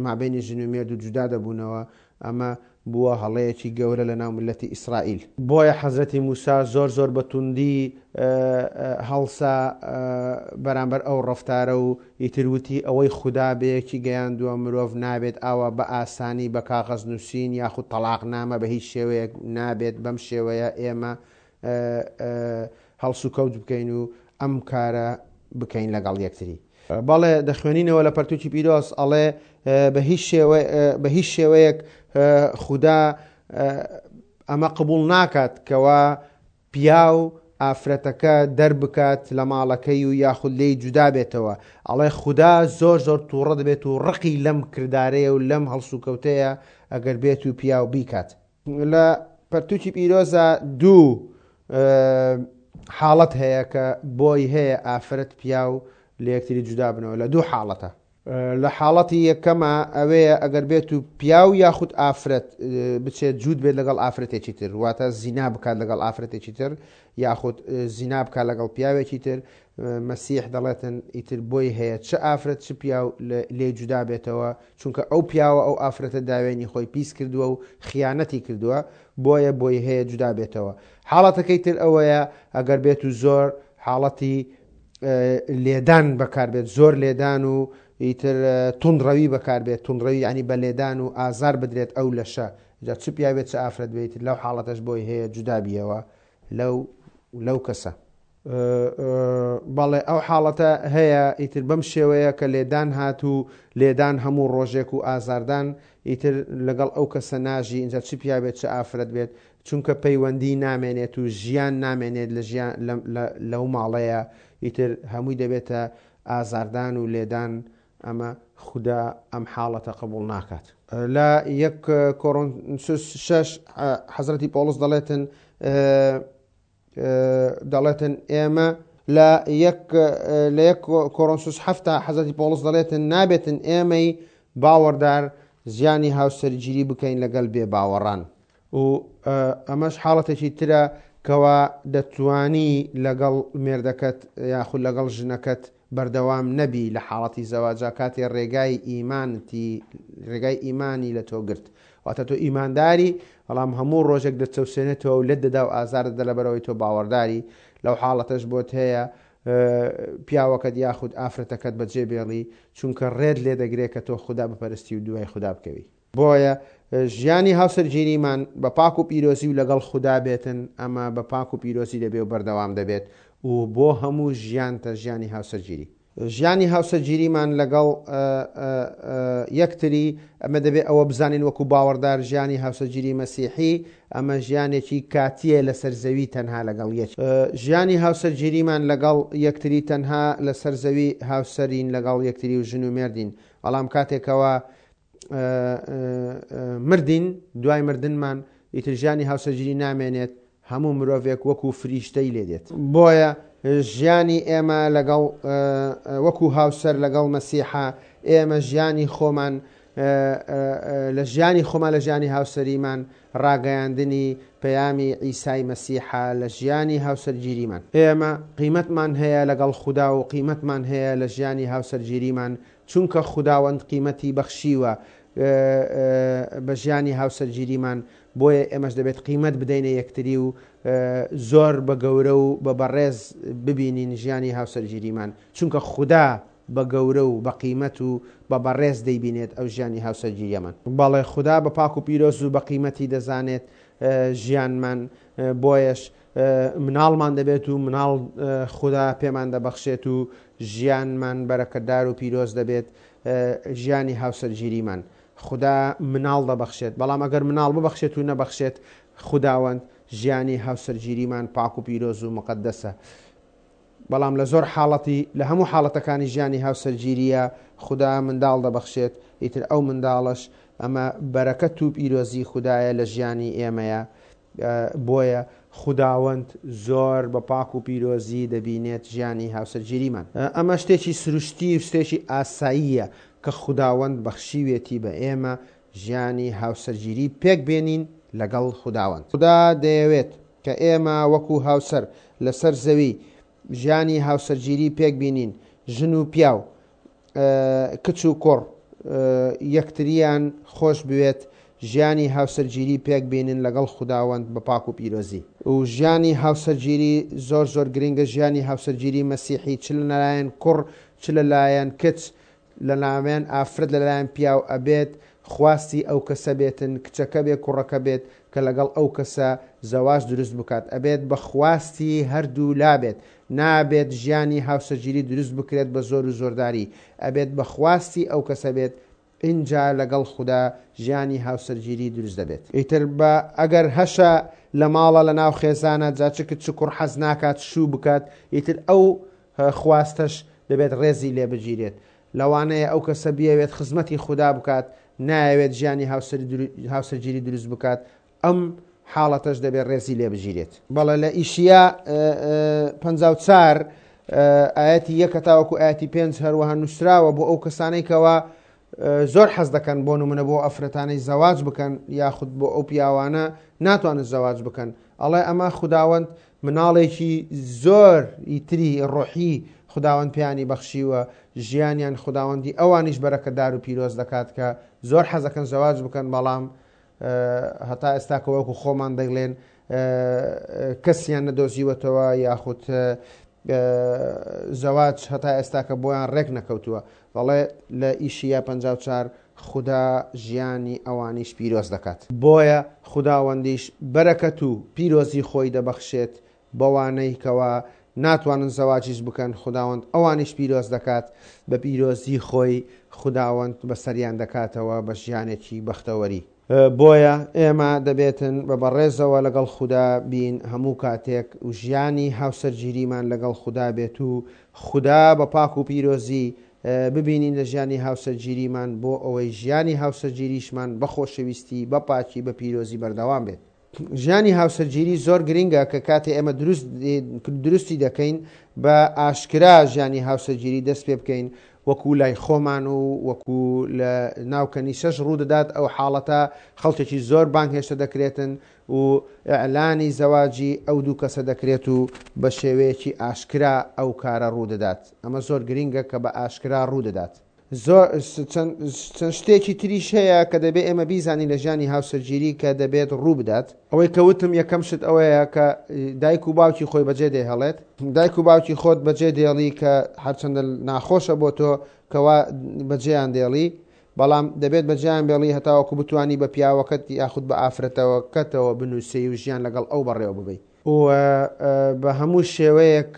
مابینی ژن و مێرد و جودا دەبوونەوە. ئەمە بووە هەڵەیەکی گەورە لە ناو ملەتی ئیسرائیل. بۆیە حەزرەتی موسا زۆر زۆر بە توندی هەڵسا بەرامبەر ئەو ڕەفتارە و ئیتر وتی ئەوەی خودا بەیەکی گەیاندووە مرۆڤ نابێت ئاوا بە ئاسانی بە کاغەز نووسین یاخود تەلاقنامە بە هیچ شێوەیەک نابێت بەم شێوەیە ئێمە هەڵسوکەوت بکەین و ئەم کارە بکەین لەگەڵ یەکتری. بەڵێ دەخوێنینەوە لە پەرتوکی پیرۆز ئەڵێ بە هیچ شێوەیەک خودا ئەمە قبول ناکات کەوا پیاو ئافرەتەکە دەربکات لە ماڵەکەی و یاخود لێی جودا بێتەوە. ئەڵێ خودا زۆر زۆر تووڕە دەبێت و ڕقی لەم کردارەیە و لەم هەڵسوکەوتەیە ئەگەر بێت و پیاو بیکات. لە پەرتوکی پیرۆزە دوو حاڵەت هەیە کە بۆی هەیە ئافرەت پیاو لە یەکتری جودا بنەوە لە دوو حاڵەتە. لە حاڵەتی یەکەمە ئەوەیە ئەگەر بێت و پیاو یاخود ئافرەت بچێت جوود بێت لەگەڵ ئافرەتێکی تر، واتە زینا بکات لەگەڵ ئافرەتێکی تر یاخود زینا بکات لەگەڵ پیاوێکی تر، مەسیح دەڵێتن ئیتر بۆی هەیە چ ئافرەت چ پیاو لێ جودا بێتەوە، چونکە ئەو پیاوە ئەو ئافرەتە داوێنی خۆی پیس کردووە و خیانەتی کردووە، بۆیە بۆی هەیە جودا بێتەوە. حاڵەتەکەی تر ئەوەیە ئەگەر بێت و زۆر حاڵەتی لێدان بەکاربێت، زۆر لێدان و ئیتر توندڕەوی بەکاربێت، توندڕەوی یعنی بە لێدان و ئازار بدرێت ئەو لەشە، جا چ پیاوێت چ ئافرەت بێت، لەو حاڵەتەش بۆی هەیە جودا بیەوە لەو لەو کەسە. بەڵێ ئەو حاڵەتە هەیە ئیتر بەم شێوەیە کە لێدان هات و لێدان هەموو ڕۆژێک و ئازاردان ئیتر لەگەڵ ئەو کەسە ناژی، اینجا چ پیاوێت چ ئافرەت بێت، چونکە پەیوەندی نامێنێت و ژیان نامێنێت لە ژیان لەو ماڵەیە، ئیتر هەمووی دەبێتە ئازاردان و لێدان. ئەمە خودا ئەم حاڵەتە قبول ناکات. لە یەک کۆرنسوس شەش حەزرەتی پۆڵس دەڵێتن دەڵێتن ئێمە لە یەک لە یەک کۆرنسوس حەفتا حەزرەتی پۆڵس دەڵێتن نابێتن ئێمەی باوەڕدار زیانی هاوسەرگیری بکەین لەگەڵ بێ باوەڕان. و ئەمەش حاڵەتێکی ترە کەوا دەتوانی لەگەڵ مێردەکەت یاخود لەگەڵ ژنەکەت بەردەوام نەبی لە حاڵەتی زەواجا کاتێ ڕێگای ئیمانتی ڕێگای ئیمانی لە تۆ گرت، واتە تۆ ئیمانداری بەڵام هەموو ڕۆژێک دەچەوسێنێتەوە و لێت دەدا و ئازار دەدا لەبەرەوەی تۆ باوەڕداری. لەو حاڵەتەش بۆت هەیە پیاوەکەت یاخود ئافرەتەکەت بەجێ بێڵی، چونکە ڕێت لێ دەگرێت کە تۆ خودا بپەرستی و دوای خودا بکەوی. بۆیە ژیانی هاوسەرگیریمان بە پاک و پیرۆزی و لەگەڵ خودا بێتن، ئەمە بە پاک و پیرۆزی دەبێ و بەردەوام دەبێت و بۆ هەموو ژیانتە ژیانی هاوسەرگیری. ژیانی هاوسەرگیریمان لەگەڵ یەکتری، ئەمە دەبێت ئەوە بزانین وەکو باوەڕدار ژیانی هاوسەرگیری مەسیحی ئەمە ژیانێکی کاتیە لەسەر زەوی تەنها لەگەڵ یەک. ژیانی هاوسەرگیریمان لەگەڵ یەکتری تەنها لەسەر زەوی هاوسەرین لەگەڵ یەکتری و ژن و مێردین، بەڵام کاتێکەوە مردین، دوای مردنمان ئیتر ژیانی هاوسەرگیری نامێنێت، هەموو مرۆڤێک وەکو فریشتەی لێ دێت. بۆیە ژیانی ئێمە لەگەڵ وەکو هاوسەر لەگەڵ مەسیحا، ئێمە ژیانی خۆمان لە ژیانی خۆمان لە ژیانی هاوسەریمان ڕاگەیاندنی پەیامی عیسای مەسیحا لە ژیانی هاوسەرگیریمان. ئێمە قیمەتمان هەیە لەگەڵ خودا و قیمەتمان هەیە لە ژیانی هاوسەرگیریمان، چونکە خوداوەند قیمەتی بەخشیوە بە ژیانی هاوسەرگیریمان، بۆیە ئێمەش دەبێت قیمەت بدەینە یەکتری و زۆر بە گەورە و بە بەڕێز ببینین ژیانی هاوسەرگیریمان، چونکە خودا بە گەورە و بە قیمەت و بە بەڕێز دەیبینێت ئەو ژیانی هاوسەرگیریەمان. بەڵێ خودا بە پاک و پیرۆز و بە قیمەتی دەزانێت ژیانمان، بۆیەش مناڵمان دەبێت و مناڵ خودا پێمان دەبەخشێت و ژیانمان بەرەکەتدار و پیرۆز دەبێت ژیانی هاوسەرگیریمان. خودا مناڵ دەبەخشێت، بەڵام ئەگەر مناڵ ببەخشێت و نەبەخشێت، خوداوەند ژیانی هاوسەرگیریمان پاک و پیرۆز و مقەدەسە. بەڵام لە زۆر حاڵەتی لە هەموو حاڵەتەکانی ژیانی هاوسەرگیریە خودا منداڵ دەبەخشێت، ئیتر ئەو منداڵەش ئەمە بەرەکەت و پیرۆزی خودایە لە ژیانی ئێمەیە. بۆیە خوداوەند زۆر بە پاک و پیرۆزی دەبینێت ژیانی هاوسەرگیریمان. ئەمە شتێکی سروشتی و شتێکی ئاساییە کە خوداوەند بەخشیوێتی بە ئێمە ژیانی هاوسەرگیری پێک بێنین لەگەڵ خوداوەند. خودا دەیەوێت کە ئێمە وەکو هاوسەر لەسەر زەوی ژیانی هاوسەرگیری پێک بینین، ژن و پیاو، کچ و کوڕ یەکتریان خۆش بوێت، ژیانی هاوسەرگیری پێک بینن لەگەڵ خوداوەند بە پاک و پیرۆزی. و ژیانی هاوسەرگیری زۆر زۆر گرنگە، ژیانی هاوسەرگیری مەسیحی چ لەلایەن کوڕ چ لەلایەن کچ، لەلایەن ئافرەت لەلایەن پیاو ئەبێت خواستی ئەو کەسە بێتن، کچەکە بێت کوڕەکە بێت کە لەگەڵ ئەو کەسە زەواج دروست بکات، ئەبێت بە خواستی هەردوو لا بێت، نابێت ژیانی هاوسەرگیری دروست بکرێت بە زۆر و زۆرداری، ئەبێت بە خواستی ئەو کەسە بێت، ئینجا لەگەڵ خودا ژیانی هاوسەرگیری دروست دەبێت. ئیتر بە ئەگەر هەشە لە ماڵە لە ناو خێزانە جا چ کچ کوڕ حەز ناکات شوو بکات، ئیتر ئەو خواستەش دەبێت ڕێزی لێ بگیرێت. لەوانەیە ئەو کەسە بیەوێت خزمەتی خودا بکات، نایەوێت ژیانی هاوسەرگیری دروست بکات، ئەم حاڵەتەش دەبێت ڕێزی لێ بگیرێت. بەڵێ لە ئیشیا پەنجا و چوار ئاەتی یەکە تاوەکو ئاەتی پێنج هەروەها نووسراوە بۆ ئەو کەسانەی کەوا زۆر حەز دەکەن بۆ نمونە بۆ ئەفرەتانەی زەواج بکەن یاخود بۆ ئەو پیاوانە ناتوانن زەواج بکەن. ئەڵێ ئەمە خوداوەند مناڵێکی زۆر ئیتری ڕۆحی خوداوەند پیانی بەخشیوە، ژیانیان خوداوەندی ئەوانیش بەرەکەدار و پیرۆز دەکات کە زۆر حەز دەکەن زەواج بکەن، بەڵام هەتا ئێستا کە وەکو خۆمان دەگلێن کەسیان نەدۆزیوەتەوە یاخود زەواج هەتا ئێستا کە بۆیان ڕێک نەکەوتووە. بەڵێ لە ئیشیا پەنجا و چوار خودا ژیانی ئەوانیش پیرۆز دەکات. بۆیە خوداوەندیش بەرەکەت و پیرۆزی خۆی دەبەخشێت بەوانەی کەوا ناتوانن زەواجیش بکەن، خوداوەند ئەوانیش پیرۆز دەکات، بە پیرۆزی خۆی خوداوەند بەسەریان دەکاتەوە بە ژیانێکی بەختەوەری. بۆیە ئێمە دەبێتن بە بەڕێزەوە لەگەڵ خودا بین هەموو کاتێک و ژیانی هاوسەرگیریمان لەگەڵ خودا بێت و خودا بە پاک و پیرۆزی ببینین لە ژیانی هاوسەرگیریمان، بۆ ئەوەی ژیانی هاوسەرگیریشمان بە خۆشەویستی بە پاکی بە پیرۆزی بەردەوام بێت. ژیانی هاوسەرگیری زۆر گرنگە کە کاتێ ئێمە دروستی دەکەین بە ئاشکرا ژیانی هاوسەرگیری دەست پێ بکەین، وەکو لای خۆمان و وەکو لە ناو کەنیسەش ڕوودەدات ئەو حاڵەتە خەڵکێکی زۆر بانگهێشتە دەکرێتن و ئیعلانی زەواجی ئەو دوو کەسە دەکرێت و بە شێوەیەکی ئاشکرا ئەو کارە ڕوودەدات. ئەمە زۆر گرنگە کە بە ئاشکرا ڕوودەدات. زۆر چەند شتێکی تریش هەیە کە دەبێت ئێمە بیزانین لە ژیانی هاوسەرگیری کە دەبێت ڕوو بدات. ئەوەی کە وتم یەکەم شت ئەوەیە کە دایک و باوکی خۆی بەجێ دێهێڵێت. دایک و باوکی خۆت بەجێ دێڵی کە هەرچەندە ناخۆشە بۆ تۆ کەوا بەجێیان دێڵی، بەڵام دەبێت بەجێیان بێڵی هەتاوەکو بتوانی بە پیاوەکەت یاخود بە ئافرەتەوەکەتەوە بنووسی و ژیان لەگەڵ ئەو بەڕێوە ببەی. و بە هەموو شێوەیەک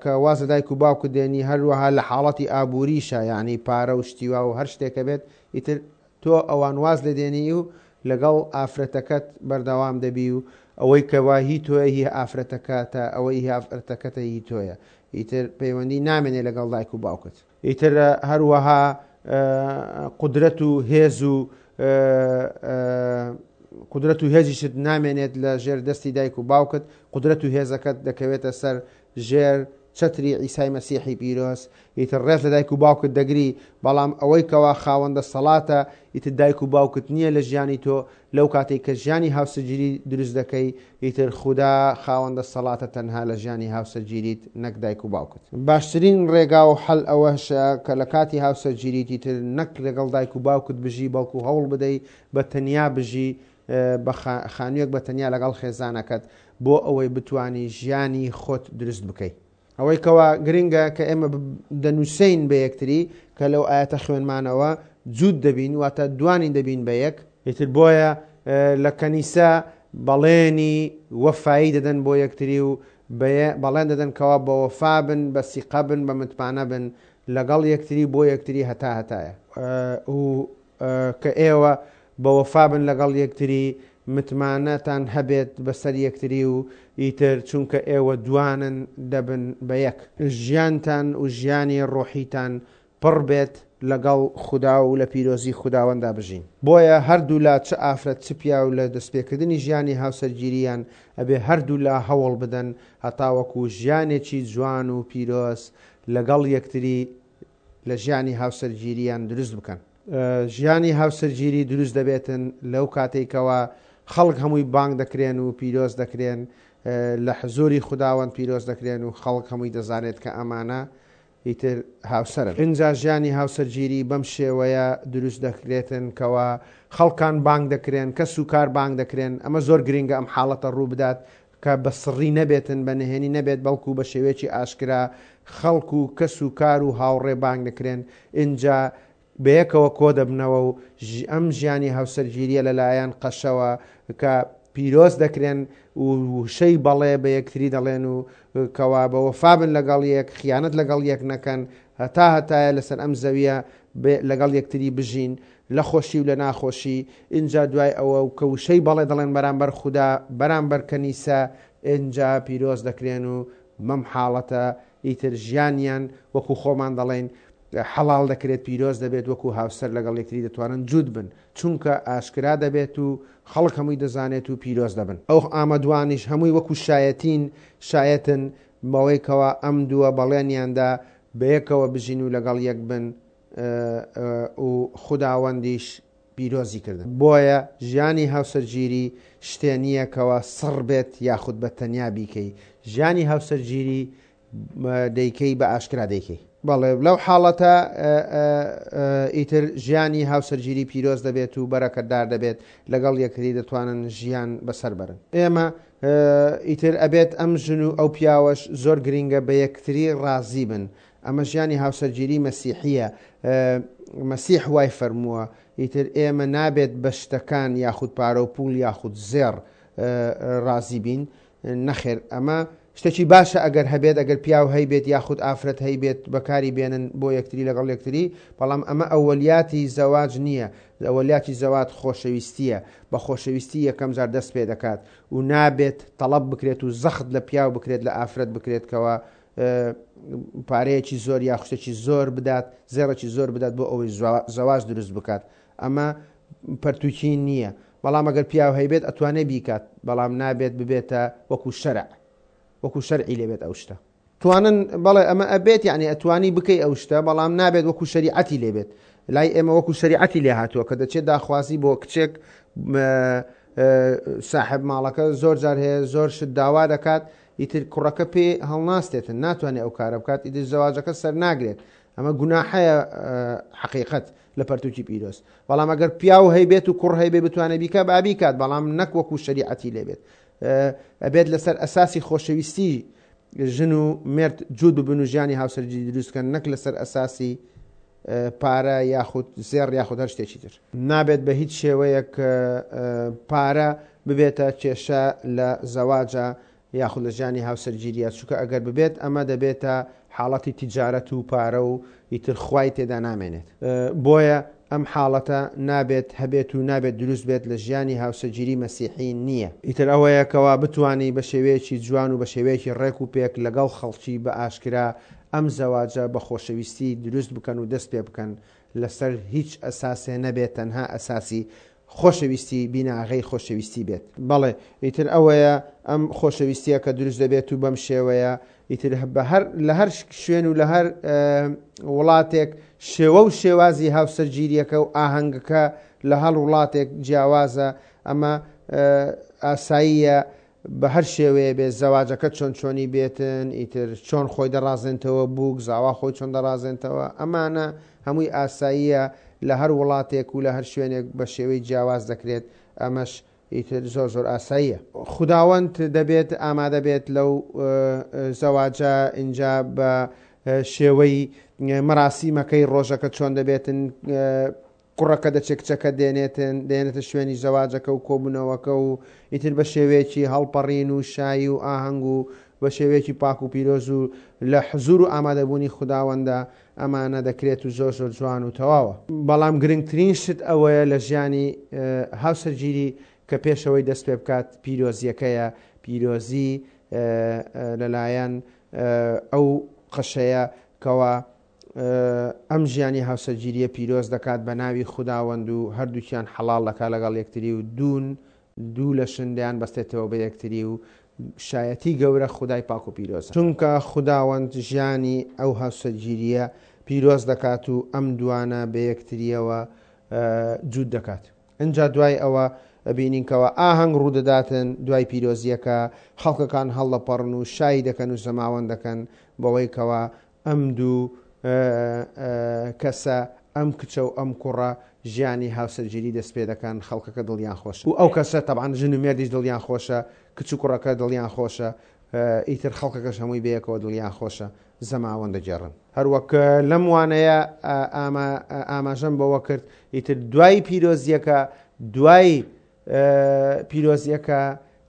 کە واز لە دایک و باوکت دێنی، هەروەها لە حاڵەتی ئابووریشە، یعنی پارە و شتیوا و هەر شتێکە بێت، ئیتر تۆ ئەوان واز لێ دێنی و لەگەڵ ئافرەتەکەت بەردەوام دەبی و ئەوەی کەوا هی تۆیە هی ئافرەتەکەتە، ئەوەی هی ئافرەتەکەتە هی تۆیە، ئیتر پەیوەندی نامێنێ لەگەڵ دایک و باوکت. ئیتر هەروەها قودرەت و هێز و قودرەت و هێزیشت نامێنێت لە ژێر دەستی دایک و باوکت، قودرەت و هێزەکەت دەکەوێتە سەر ژێر چەتری عیسای مەسیحی پیرۆز. ئیتر ڕێز لە دایک و باوکت دەگری، بەڵام ئەوەی کەوا خاوەندە سەڵاتە ئیتر دایک و باوکت نییە لە ژیانی تۆ. لەو کاتێک کە ژیانی هاوسەرگیری دروست دەکەی، ئیتر خودا خاوەندە سەڵاتە تەنها لە ژیانی هاوسەرگیریت نەک دایک و باوکت. باشترین ڕێگا و حەل ئەوەشە کە لە کاتی هاوسەرگیریت ئیتر نەک لەگەڵ دایک و باوکت بژی، بەڵکو هەوڵ بدەی بە تەنیا بژی، بە خانوویەک بە تەنیا لەگەڵ خێزانەکەت، بۆ ئەوەی بتانی ژیانی خۆت دروست بکەی. ئەوەی کەوا گرنگە کە ئێمە دەنووسین بە یەکتری کە لەو ئاەتە خوێنمانەوە جووت دەبین، واتە دوانی دەبین بە یەک. ئیتر بۆیە لە کەنیسە بەڵێنی وەفایی دەدەن بۆ یەکتری و بەڵێن دەدەن کەوا بە وەفا بن، بە سیقە بن، بە متمانە بن لەگەڵ یەکتری بۆ یەکتری هەتا هەتایە. و کە ئێوە بە وەفا بن لەگەڵ یەکتری، متمانەتان هەبێت بەسەر یەکتری و ئیتر چونکە ئێوە دوانن دەبن بە یەک. ژیانتان و ژیانی ڕۆحیتان پڕ بێت لەگەڵ خودا و لە پیرۆزی خوداوەندا بژین. بۆیە هەردوولا چ ئافرەت چ پیاو لە دەستپێکردنی ژیانی هاوسەرگیریان ئەبێ هەردوولا هەوڵ بدەن هەتاوەکو ژیانێکی جوان و پیرۆز لەگەڵ یەکتری لە ژیانی هاوسەرگیریان دروست بکەن. ژیانی هاوسەرگیری دروست دەبێتن لەو کاتێکەوە خەڵک هەمووی بانگ دەکرێن و پیرۆز دەکرێن، لە حزوری خوداوەند پیرۆز دەکرێن و خەڵک هەمووی دەزانێت کە ئەمانە ئیتر هاوسەرن. ئینجا ژیانی هاوسەرگیری بەم شێوەیە دروست دەکرێتن کەوا خەڵکان بانگ دەکرێن، کەس و کار بانگ دەکرێن. ئەمە زۆر گرنگە ئەم حاڵەتە ڕوو بدات کە بە سڕی نەبێتن، بە نهێنی نەبێت، بەڵکو بە شێوەیەکی ئاشکرا خەڵک و کەس و کار و هاوڕێ بانگ دەکرێن. ئینجا بەیەکەوە کۆ دەبنەوە و ئەم ژیانی هاوسەرگیریە لەلایەن قەشەوە کە پیرۆز دەکرێن و وشەی بەڵێ بە یەکتری دەڵێن و کەوا بە وەفا بن لەگەڵ یەک، خیانەت لەگەڵ یەک نەکەن، هەتا هەتایە لەسەر ئەم زەویە لەگەڵ یەکتری بژین لە خۆشی و لە ناخۆشی. ئینجا دوای ئەوە کە وشەی بەڵێ دەڵێن بەرامبەر خودا، بەرامبەر کەنیسە، ئینجا پیرۆز دەکرێن و بەم حاڵەتە ئیتر ژیانیان وەکو خۆمان دەڵێن حەڵاڵ دەکرێت، پیرۆز دەبێت، وەکو هاوسەر لەگەڵ یەکتری دەتوانن جووت بن، چونکە ئاشکرا دەبێت و خەڵک هەمووی دەزانێت و پیرۆز دەبن. ئەو ئامەدوانیش هەمووی وەکو شایەتین شایەتن بەوەی کەوا ئەم دووە بەڵێنیاندا بەیەکەوە بژین و لەگەڵ یەک بن و خوداوەندیش پیرۆزی کردن. بۆیە ژیانی هاوسەرگیری شتێ نییە کەوا سڕ بێت یاخود بە تەنیا بیکەی. ژیانی هاوسەرگیری دەیکەی بە ئاشکرا دەیکەی. بەڵێ لەو حاڵەتە ئیتر ژیانی هاوسەرگیری پیرۆز دەبێت و بەرەکەتدار دەبێت، لەگەڵ یەکتری دەتوانن ژیان بەسەر بەرن. ئێمە ئیتر ئەبێت ئەم ژن و ئەو پیاوەش زۆر گرنگە بە یەکتری ڕازی بن. ئەمە ژیانی هاوسەرگیری مەسیحیە، مەسیح وای فەرمووە. ئیتر ئێمە نابێت بە شتەکان یاخود پارە و پوڵ یاخود زێڕ ڕازی بین. نەخێر، ئەمە شتێکی باشە ئەگەر هەبێت، ئەگەر پیاو هەیبێت یاخود ئافرەت هەیبێت بەکاری بێنن بۆ یەکتری لەگەڵ یەکتری، بەڵام ئەمە ئەوەلیاتی زەواج نییە. ئەوەلیاتی زەواج خۆشەویستیە، بە خۆشەویستی یەکەم جار دەست پێ دەکات و نابێت تەڵەب بکرێت و زەخت لە پیاو بکرێت لە ئافرەت بکرێت کەوا پارەیەکی زۆر یا شتێکی زۆر بدات، زێڕێکی زۆر بدات بۆ ئەوەی زەواج دروست بکات. ئەمە پەرتوکی نییە. بەڵام ئەگەر پیاو هەیبێت ئەتوانێت بیکات، بەڵام نابێت ببێتە وەکو شەرع، وەکو شەرعی لێبێت ئەو شتە. توانن بەڵێ ئەمە ئەبێت، یعنی ئەتوانی بکەی ئەو شتە، بەڵام نابێت وەکو شەریعەتی لێبێت. لای ئێمە وەکو شەریعەتی لێ هاتووە کە دەچێت داخوازی بۆ کچێک ساحب ماڵەکە زۆر جار هەیە زۆر شت داوا دەکات، ئیتر کوڕەکە پێ هەڵناستێتن، ناتوانێت ئەو کارە بکات، ئیتر زەواجەکە سەر ناگرێت. ئەمە گوناحەیە حەقیقەت لە پەرتوکی پیرۆز. بەڵام ئەگەر پیاو هەیبێت و کوڕ هەیبێ بتوانێت بیکە با بیکات، بەڵام نەک وەکو شەریعەتی لێبێت. ئەبێت لەسەر ئەساسی خۆشەویستی ژن و مێرد جوود ببن و ژیانی هاوسەرگیری دروست بکەن، نەک لەسەر ئەساسی پارە یاخود زێڕ یاخود هەر شتێکی تر. نابێت بە هیچ شێوەیەک پارە ببێتە کێشە لە زەواجە یاخود لە ژیانی هاوسەرگیریە، چونکە ئەگەر ببێت ئەمە دەبێتە حاڵەتی تیجارەت و پارە و ئیتر خوای تێدا نامێنێت. بۆیە ئەم حاڵەتە نابێت هەبێت و نابێت دروست بێت لە ژیانی هاوسەرگیری مەسیحی نییە. ئیتر ئەوەیە کەوا بتانی بە شێوەیەکی جوان و بە شێوەیەکی ڕێک و پێک لەگەڵ خەڵکی بە ئاشکرا ئەم زەواجە بە خۆشەویستی دروست بکەن و دەست پێ بکەن، لەسەر هیچ ئەساسێ نەبێت، تەنها ئەساسی خۆشەویستی بیناغەی خۆشەویستی بێت. بەڵێ ئیتر ئەوەیە ئەم خۆشەویستیە کە دروست دەبێت و بەم شێوەیە ئیتر لە هەر شوێن و لە هەر وڵاتێک شێوە و شێوازی هاوسەرگیریەکە و ئاهەنگەکە لە هەر وڵاتێک جیاوازە. ئەمە ئاساییە بە هەر شێوەیە بێت، زەواجەکە چۆن چۆنی بێتن، ئیتر چۆن خۆی دەڕازێنتەوە، بووک زاوا خۆی چۆن دەڕازێنتەوە، ئەمانە هەمووی ئاساییە لە هەر وڵاتێک و لە هەر شوێنێک بە شێوەی جیاواز دەکرێت. ئەمەش ئیتر زۆر زۆر ئاساییە. خوداوەند دەبێت ئامادە بێت لەو زەواجە، ئینجا بە شێوەی مەراسیمەکەی ڕۆژەکە چۆن دەبێتن، کوڕەکە دەچێت کچەکە دێنێتن، دێنێتە شوێنی زەواجەکە و کۆبوونەوەکە و ئیتر بە شێوەیەکی هەڵپەڕین و شایی و ئاهەنگ و بە شێوەیەکی پاک و پیرۆز و لە حزور و ئامادەبوونی خوداوەندە ئەمانە دەکرێت و زۆر زۆر جوان و تەواوە. بەڵام گرنگترین شت ئەوەیە لە ژیانی هاوسەرگیری کە پێشەوەی دەست پێ بکات پیرۆزیەکەیە، پیرۆزی لەلایەن ئەو قەشەیە کەوا ئەم ژیانی هاوسەرگیریە پیرۆز دەکات بە ناوی خوداوەند و هەردووکیان حەڵاڵ دەکات لەگەڵ یەکتری و دوون دوو لە شندیان بەستێتەوە بە یەکتری و شایەتی گەورە خودای پاک و پیرۆزە، چونکە خوداوەند ژیانی ئەو هاوسەرگیریە پیرۆز دەکات و ئەم دوانە بە یەکتریەوە جووت دەکات. ئینجا دوای ئەوە بینین کەوە ئاهەنگ ڕوودەداتن، دوای پیرۆزیەکە خەڵکەکان هەڵدەپەڕن و شایی دەکەن و زەماوەند دەکەن بەوەی کەوە ئەم دوو کەسە، ئەم کچە و ئەم کوڕە ژیانی هاوسەرگیری دەست پێ دەکەن، خەڵکەکە دڵیان خۆشە و ئەو کەسە تەبعەن ژن و مێردیش دڵیان خۆشە، کچ و کوڕەکە دڵیان خۆشە، ئیتر خەڵکەکەش هەمووی بەیەکەوە دڵیان خۆشە، زەماوەند دەگێڕن. هەروەک لەم وانەیە ئاماژەم بەوە کرد، ئیتر دوای پیرۆزیەکە، دوای پیرۆزیەکە،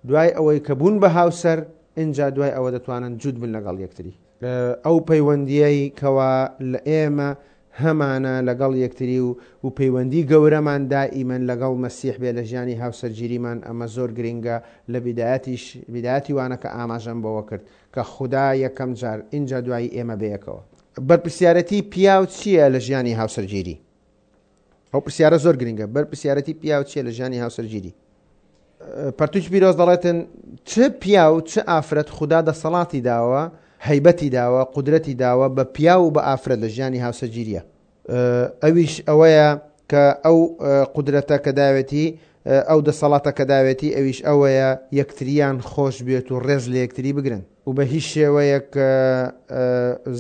دوای ئەوەی کە بوون بە هاوسەر، ئینجا دوای ئەوە دەتوانن جووت بن لەگەڵ یەکتری. ئەو پەیوەندیەی کەوا لە ئێمە هەمانە لەگەڵ یەکتری و و پەیوەندی گەورەمان دائیمەن لەگەڵ مەسیح بێ لە ژیانی هاوسەرگیریمان، ئەمە زۆر گرنگە. لە بیدایەتیش بیدایەتی وانەکە ئاماژەم بەوە کرد کە خودا یەکەم جار ئینجا دوایی ئێمە بەیەکەوە. بەرپرسیارەتی پیاو چییە لە ژیانی هاوسەرگیری؟ ئەو پرسیارە زۆر گرنگە. بەرپرسیارەتی پیاو چییە لە ژیانی هاوسەرگیری؟ پەرتوکی پیرۆز دەڵێتن چ پیاو چ ئافرەت خودا دەسەڵاتی داوە، هەیبەتی داوە، قودرەتی داوە بە پیاو و بە ئافرەت لە ژیانی هاوسەرگیریە. ئەویش ئەوەیە کە ئەو قودرەتە کە داوێتی، ئەو دەسەڵاتە کە داوێتی، ئەویش ئەوەیە یەکتریان خۆش بێت و ڕێز لە یەکتری بگرن و بە هیچ شێوەیەک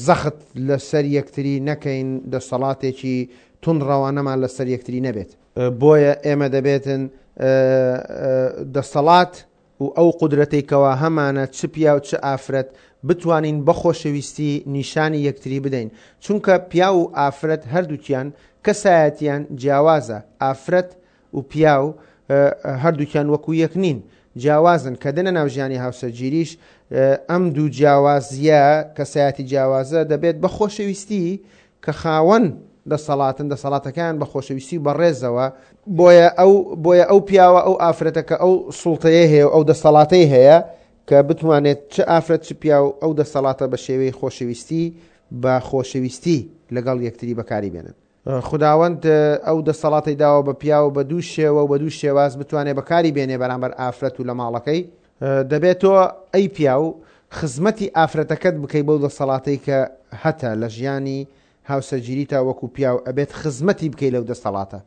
زەخت لەسەر یەکتری نەکەین، دەسەڵاتێکی توندڕەوانەمان لەسەر یەکتری نەبێت. بۆیە ئێمە دەبێتن دەسەڵات و ئەو قودرەتەی کەوا هەمانە چ پیاو چ ئافرەت بتوانین بە خۆشەویستی نیشانی یەکتری بدەین، چونکە پیاو و ئافرەت هەردووکیان کەسایەتیان جیاوازە. ئافرەت و پیاو هەردووکیان وەکو یەک نین، جیاوازن. کە دێنە ناو ژیانی هاوسەرگیریش ئەم دوو جیاوازیە کەسایەتی جیاوازە دەبێت بە خۆشەویستی کە خاوەن دەسەڵاتن، دەسەڵاتەکان بە خۆشەویستی و بەڕێزەوە. بۆیە ئەو بۆیە ئەو پیاوە ئەو ئافرەتە کە ئەو سوڵتەیە هەیە و ئەو دەسەڵاتەی هەیە کە بتوانێت چ ئافرەت چ پیاو ئەو دەسەڵاتە بە شێوەی خۆشەویستی بە خۆشەویستی لەگەڵ یەکتری بەکاری بێنن. خداوەند ئەو دەسەڵاتی داوە بە پیاو بە دوو شێوە و بە دوو شێواز بتوانێت بەکاری بێنێ بەرامبەر ئافرەت و لە ماڵەکەی. دەبێت تۆ ئەی پیاو خزمەتی ئافرەتەکەت بکەی بەو دەسەڵاتەی کە هەتە لە ژیانی هاوسەرگیری تا وەکو پیاو ئەبێت خزمەتی بکەی لەو دەسەڵاتە.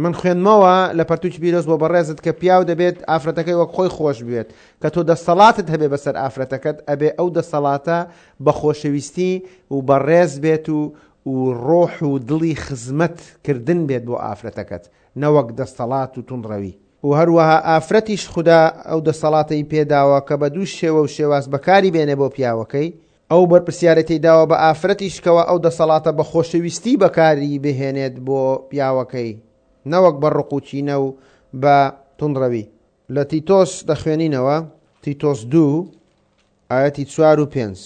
من خوێندمەوە لە پەرتوکی پیرۆز بۆ بەڕێزت کە پیاو دەبێت ئافرەتەکەی وەک خۆی خۆش بێت، کە تۆ دەسەڵاتت هەبێ بەسەر ئافرەتەکەت ئەبێ ئەو دەسەڵاتە بە خۆشەویستی و بەڕێز بێت و و ڕۆح و دڵی خزمەتکردن بێت بۆ ئافرەتەکەت، نەوەک دەسەڵات و توندڕەوی. و هەروەها ئافرەتیش خودا ئەو دەسەڵاتەی پێداوە کە بە دوو شێوە و شێواز بەکاری بێنێ بۆ پیاوەکەی. ئەو بەرپرسیارێتی داوە بە ئافرەتیش کەوا ئەو دەسەڵاتە بە خۆشەویستی بەکاری بهێنێت بۆ پیاوەکەی، نەوەک بە ڕق و کینە و بە توندڕەوی. لە تیتۆس دەخوێنینەوە، تیتۆس دوو ئایەتی چوار و پێنج،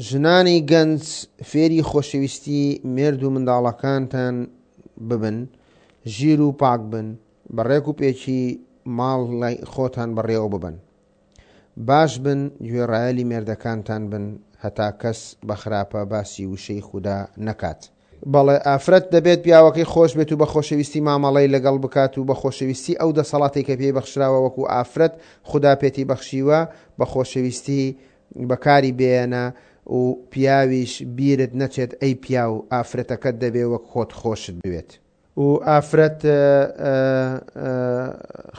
ژنانی گەنج فێری خۆشەویستی مێرد و منداڵەکانتان ببن، ژیر و پاک بن، بە ڕێک و پێکی ماڵی خۆتان بەڕێوە ببەن، باش بن، گوێڕایەلی مێردەکانتان بن، هەتا کەس بە خراپە باسی وشەی خودا نەکات. بەڵێ، ئافرەت دەبێت پیاوەکەی خۆش بێت و بە خۆشەویستی مامەڵەی لەگەڵ بکات و بە خۆشەویستی ئەو دەسەڵاتێک کە پێی بەخشراوە وەکو ئافرەت خودا پێتی بەخشیوە بە خۆشەویستی بەکاری بێنە و پیاویش بیرت نەچێت ئەی پیاو ئافرەتەکەت دەبێ وەک خۆت خۆشت بوێت. و ئافرەت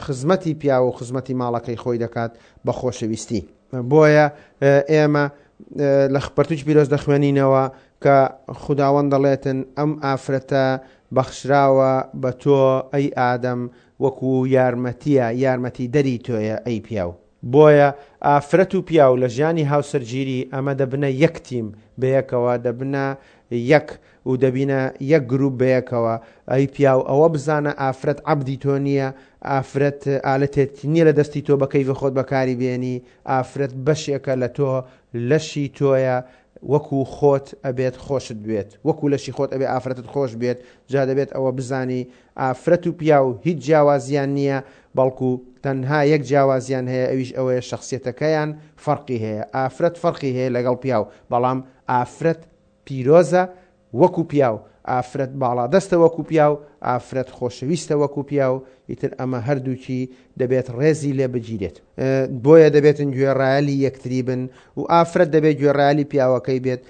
خزمەتی پیاو و خزمەتی ماڵەکەی خۆی دەکات بە خۆشەویستی. بۆیە ئێمە لە پەرتوکی پیرۆز دەخوێنینەوە کە خوداوەند دەڵێتن ئەم ئافرەتە بەخشراوە بە تۆ ئەی ئادەم وەکو یارمەتیە، یارمەتی دەری تۆیە ئەی پیاو. بۆیە ئافرەت و پیاو لە ژیانی هاوسەرگیری ئەمە دەبنە یەک تیم بەیەکەوە، دەبنە یەک و دەبینە یەک گروپ بەیەکەوە. ئەی پیاو ئەوە بزانە ئافرەت عەبدی تۆ نییە، ئافرەت ئالەتێک نییە لە دەستی تۆ بە کەیفی خۆت بەکاری بێنی، ئافرەت بەشێکە لە تۆ، لەشی تۆیە، وەکو خۆت ئەبێت خۆشت بێت، وەکو لەشی خۆت ئەبێ ئافرەتت خۆش بێت. جا دەبێت ئەوە بزانی ئافرەت و پیاو هیچ جیاوازیان نییە، بەڵکو تەنها یەک جیاوازیان هەیە، ئەویش ئەوەیە شخصیەتەکەیان فەرقی هەیە. ئافرەت فەرقی هەیە لەگەڵ پیاو، بەڵام ئافرەت پیرۆزە وەکو پیاو، ئافرەت باڵادەستە وەکو پیاو، ئافرەت خۆشەویستە وەکو پیاو. ئیتر ئەمە هەردووکی دەبێت ڕێزی لێ بگیرێت. بۆیە دەبێتن گوێڕایەلی یەکتری بن و ئافرەت دەبێت گوێڕایەلی پیاوەکەی بێت،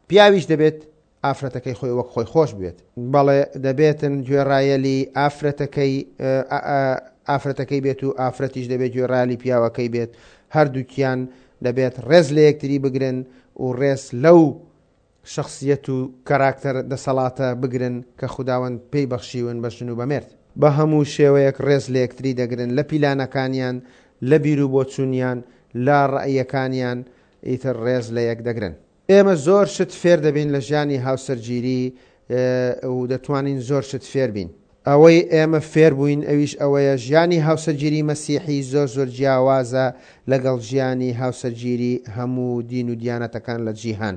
پیاویش دەبێت ئافرەتەکەی خۆی وەک خۆی خۆش بێت. بەڵێ دەبێتن گوێڕایەلی ئافرەتەکەی ئافرەتەکەی بێت و ئافرەتیش دەبێت گوێڕایەلی پیاوەکەی بێت. هەردووکیان دەبێت ڕێز لە یەکتری بگرن و ڕێز لەو شخصیەت و کاراکتەر دەسەڵاتە بگرن کە خوداوەند پێی بەخشیون بە ژن و بە مێرد. بە هەموو شێوەیەک ڕێز لە یەکتری دەگرن، لە پیلانەکانیان، لە بیر و بۆچوونیان، لە ڕەئیەکانیان، ئیتر ڕێز لە یەک دەگرن. ئێمە زۆر شت فێر دەبین لە ژیانی هاوسەرگیری و دەتوانین زۆر شت فێر بین. ئەوەی ئێمە فێر بووین ئەویش ئەوەیە ژیانی هاوسەرگیری مەسیحی زۆر زۆر جیاوازە لەگەڵ ژیانی هاوسەرگیری هەموو دین و دیانەتەکان لە جیهان.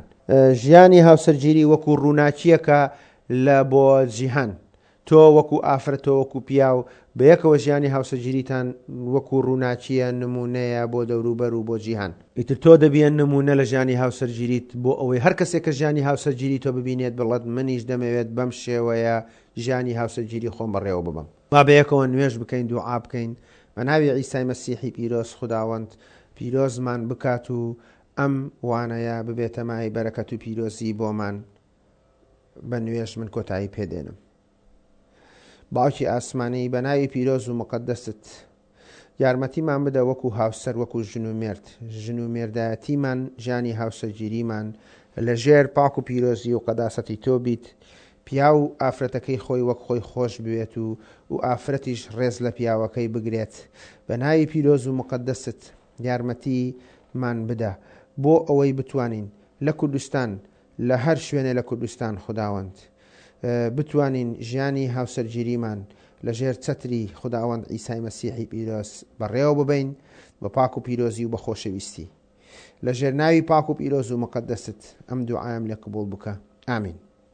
ژیانی هاوسەرگیری وەکو ڕووناکییەکە لە بۆ جیهان. تۆ وەکو ئافرەت، تۆ وەکو پیاو بەیەکەوە ژیانی هاوسەرگیریتان وەکو ڕووناکییە، نمونەیە بۆ دەوروبەر و بۆ جیهان. ئیتر تۆ دەبیە نمونە لە ژیانی هاوسەرگیریت بۆ ئەوەی هەر کەسێک کە ژیانی هاوسەرگیری تۆ ببینێت بڵێت منیش دەمەوێت بەم شێوەیە ژیانی هاوسەرگیری خۆم بەڕێوە ببەم. با بەیەکەوە نوێژ بکەین، دوعا بکەین بە ناوی عیسای مەسیحی پیرۆز خوداوەند پیرۆزمان بکات و ئەم وانەیە ببێتە مای بەرەکەت و پیرۆزی بۆمان. بە نوێژ من کۆتایی پێدێنم. باوکی ئاسمانی بە ناوی پیرۆز و مقەدەست یارمەتیمان بدە وەکو هاوسەر، وەکو ژن و مێرد، ژن و مێردایەتیمان، ژیانی هاوسەرگیریمان لەژێر پاک و پیرۆزی و قەداسەتی تۆ بیت. پیاو ئافرەتەکەی خۆی وەک خۆی خۆش بوێت و و ئافرەتیش ڕێز لە پیاوەکەی بگرێت. بە ناوی پیرۆز و مقەدەست یارمەتیمان بدە بۆ ئەوەی بتوانین لە کوردستان، لە هەر شوێنێ لە کوردستان خوداوەند بتوانین ژیانی هاوسەرگیریمان لەژێر چەتری خوداوەند عیسای مەسیحی پیرۆز بەڕێوە ببەین بە پاک و پیرۆزی و بە خۆشەویستی. لەژێر ناوی پاک و پیرۆز و مقەدەست ئەم دوعایم لێ قبوڵ بکە. ئامین.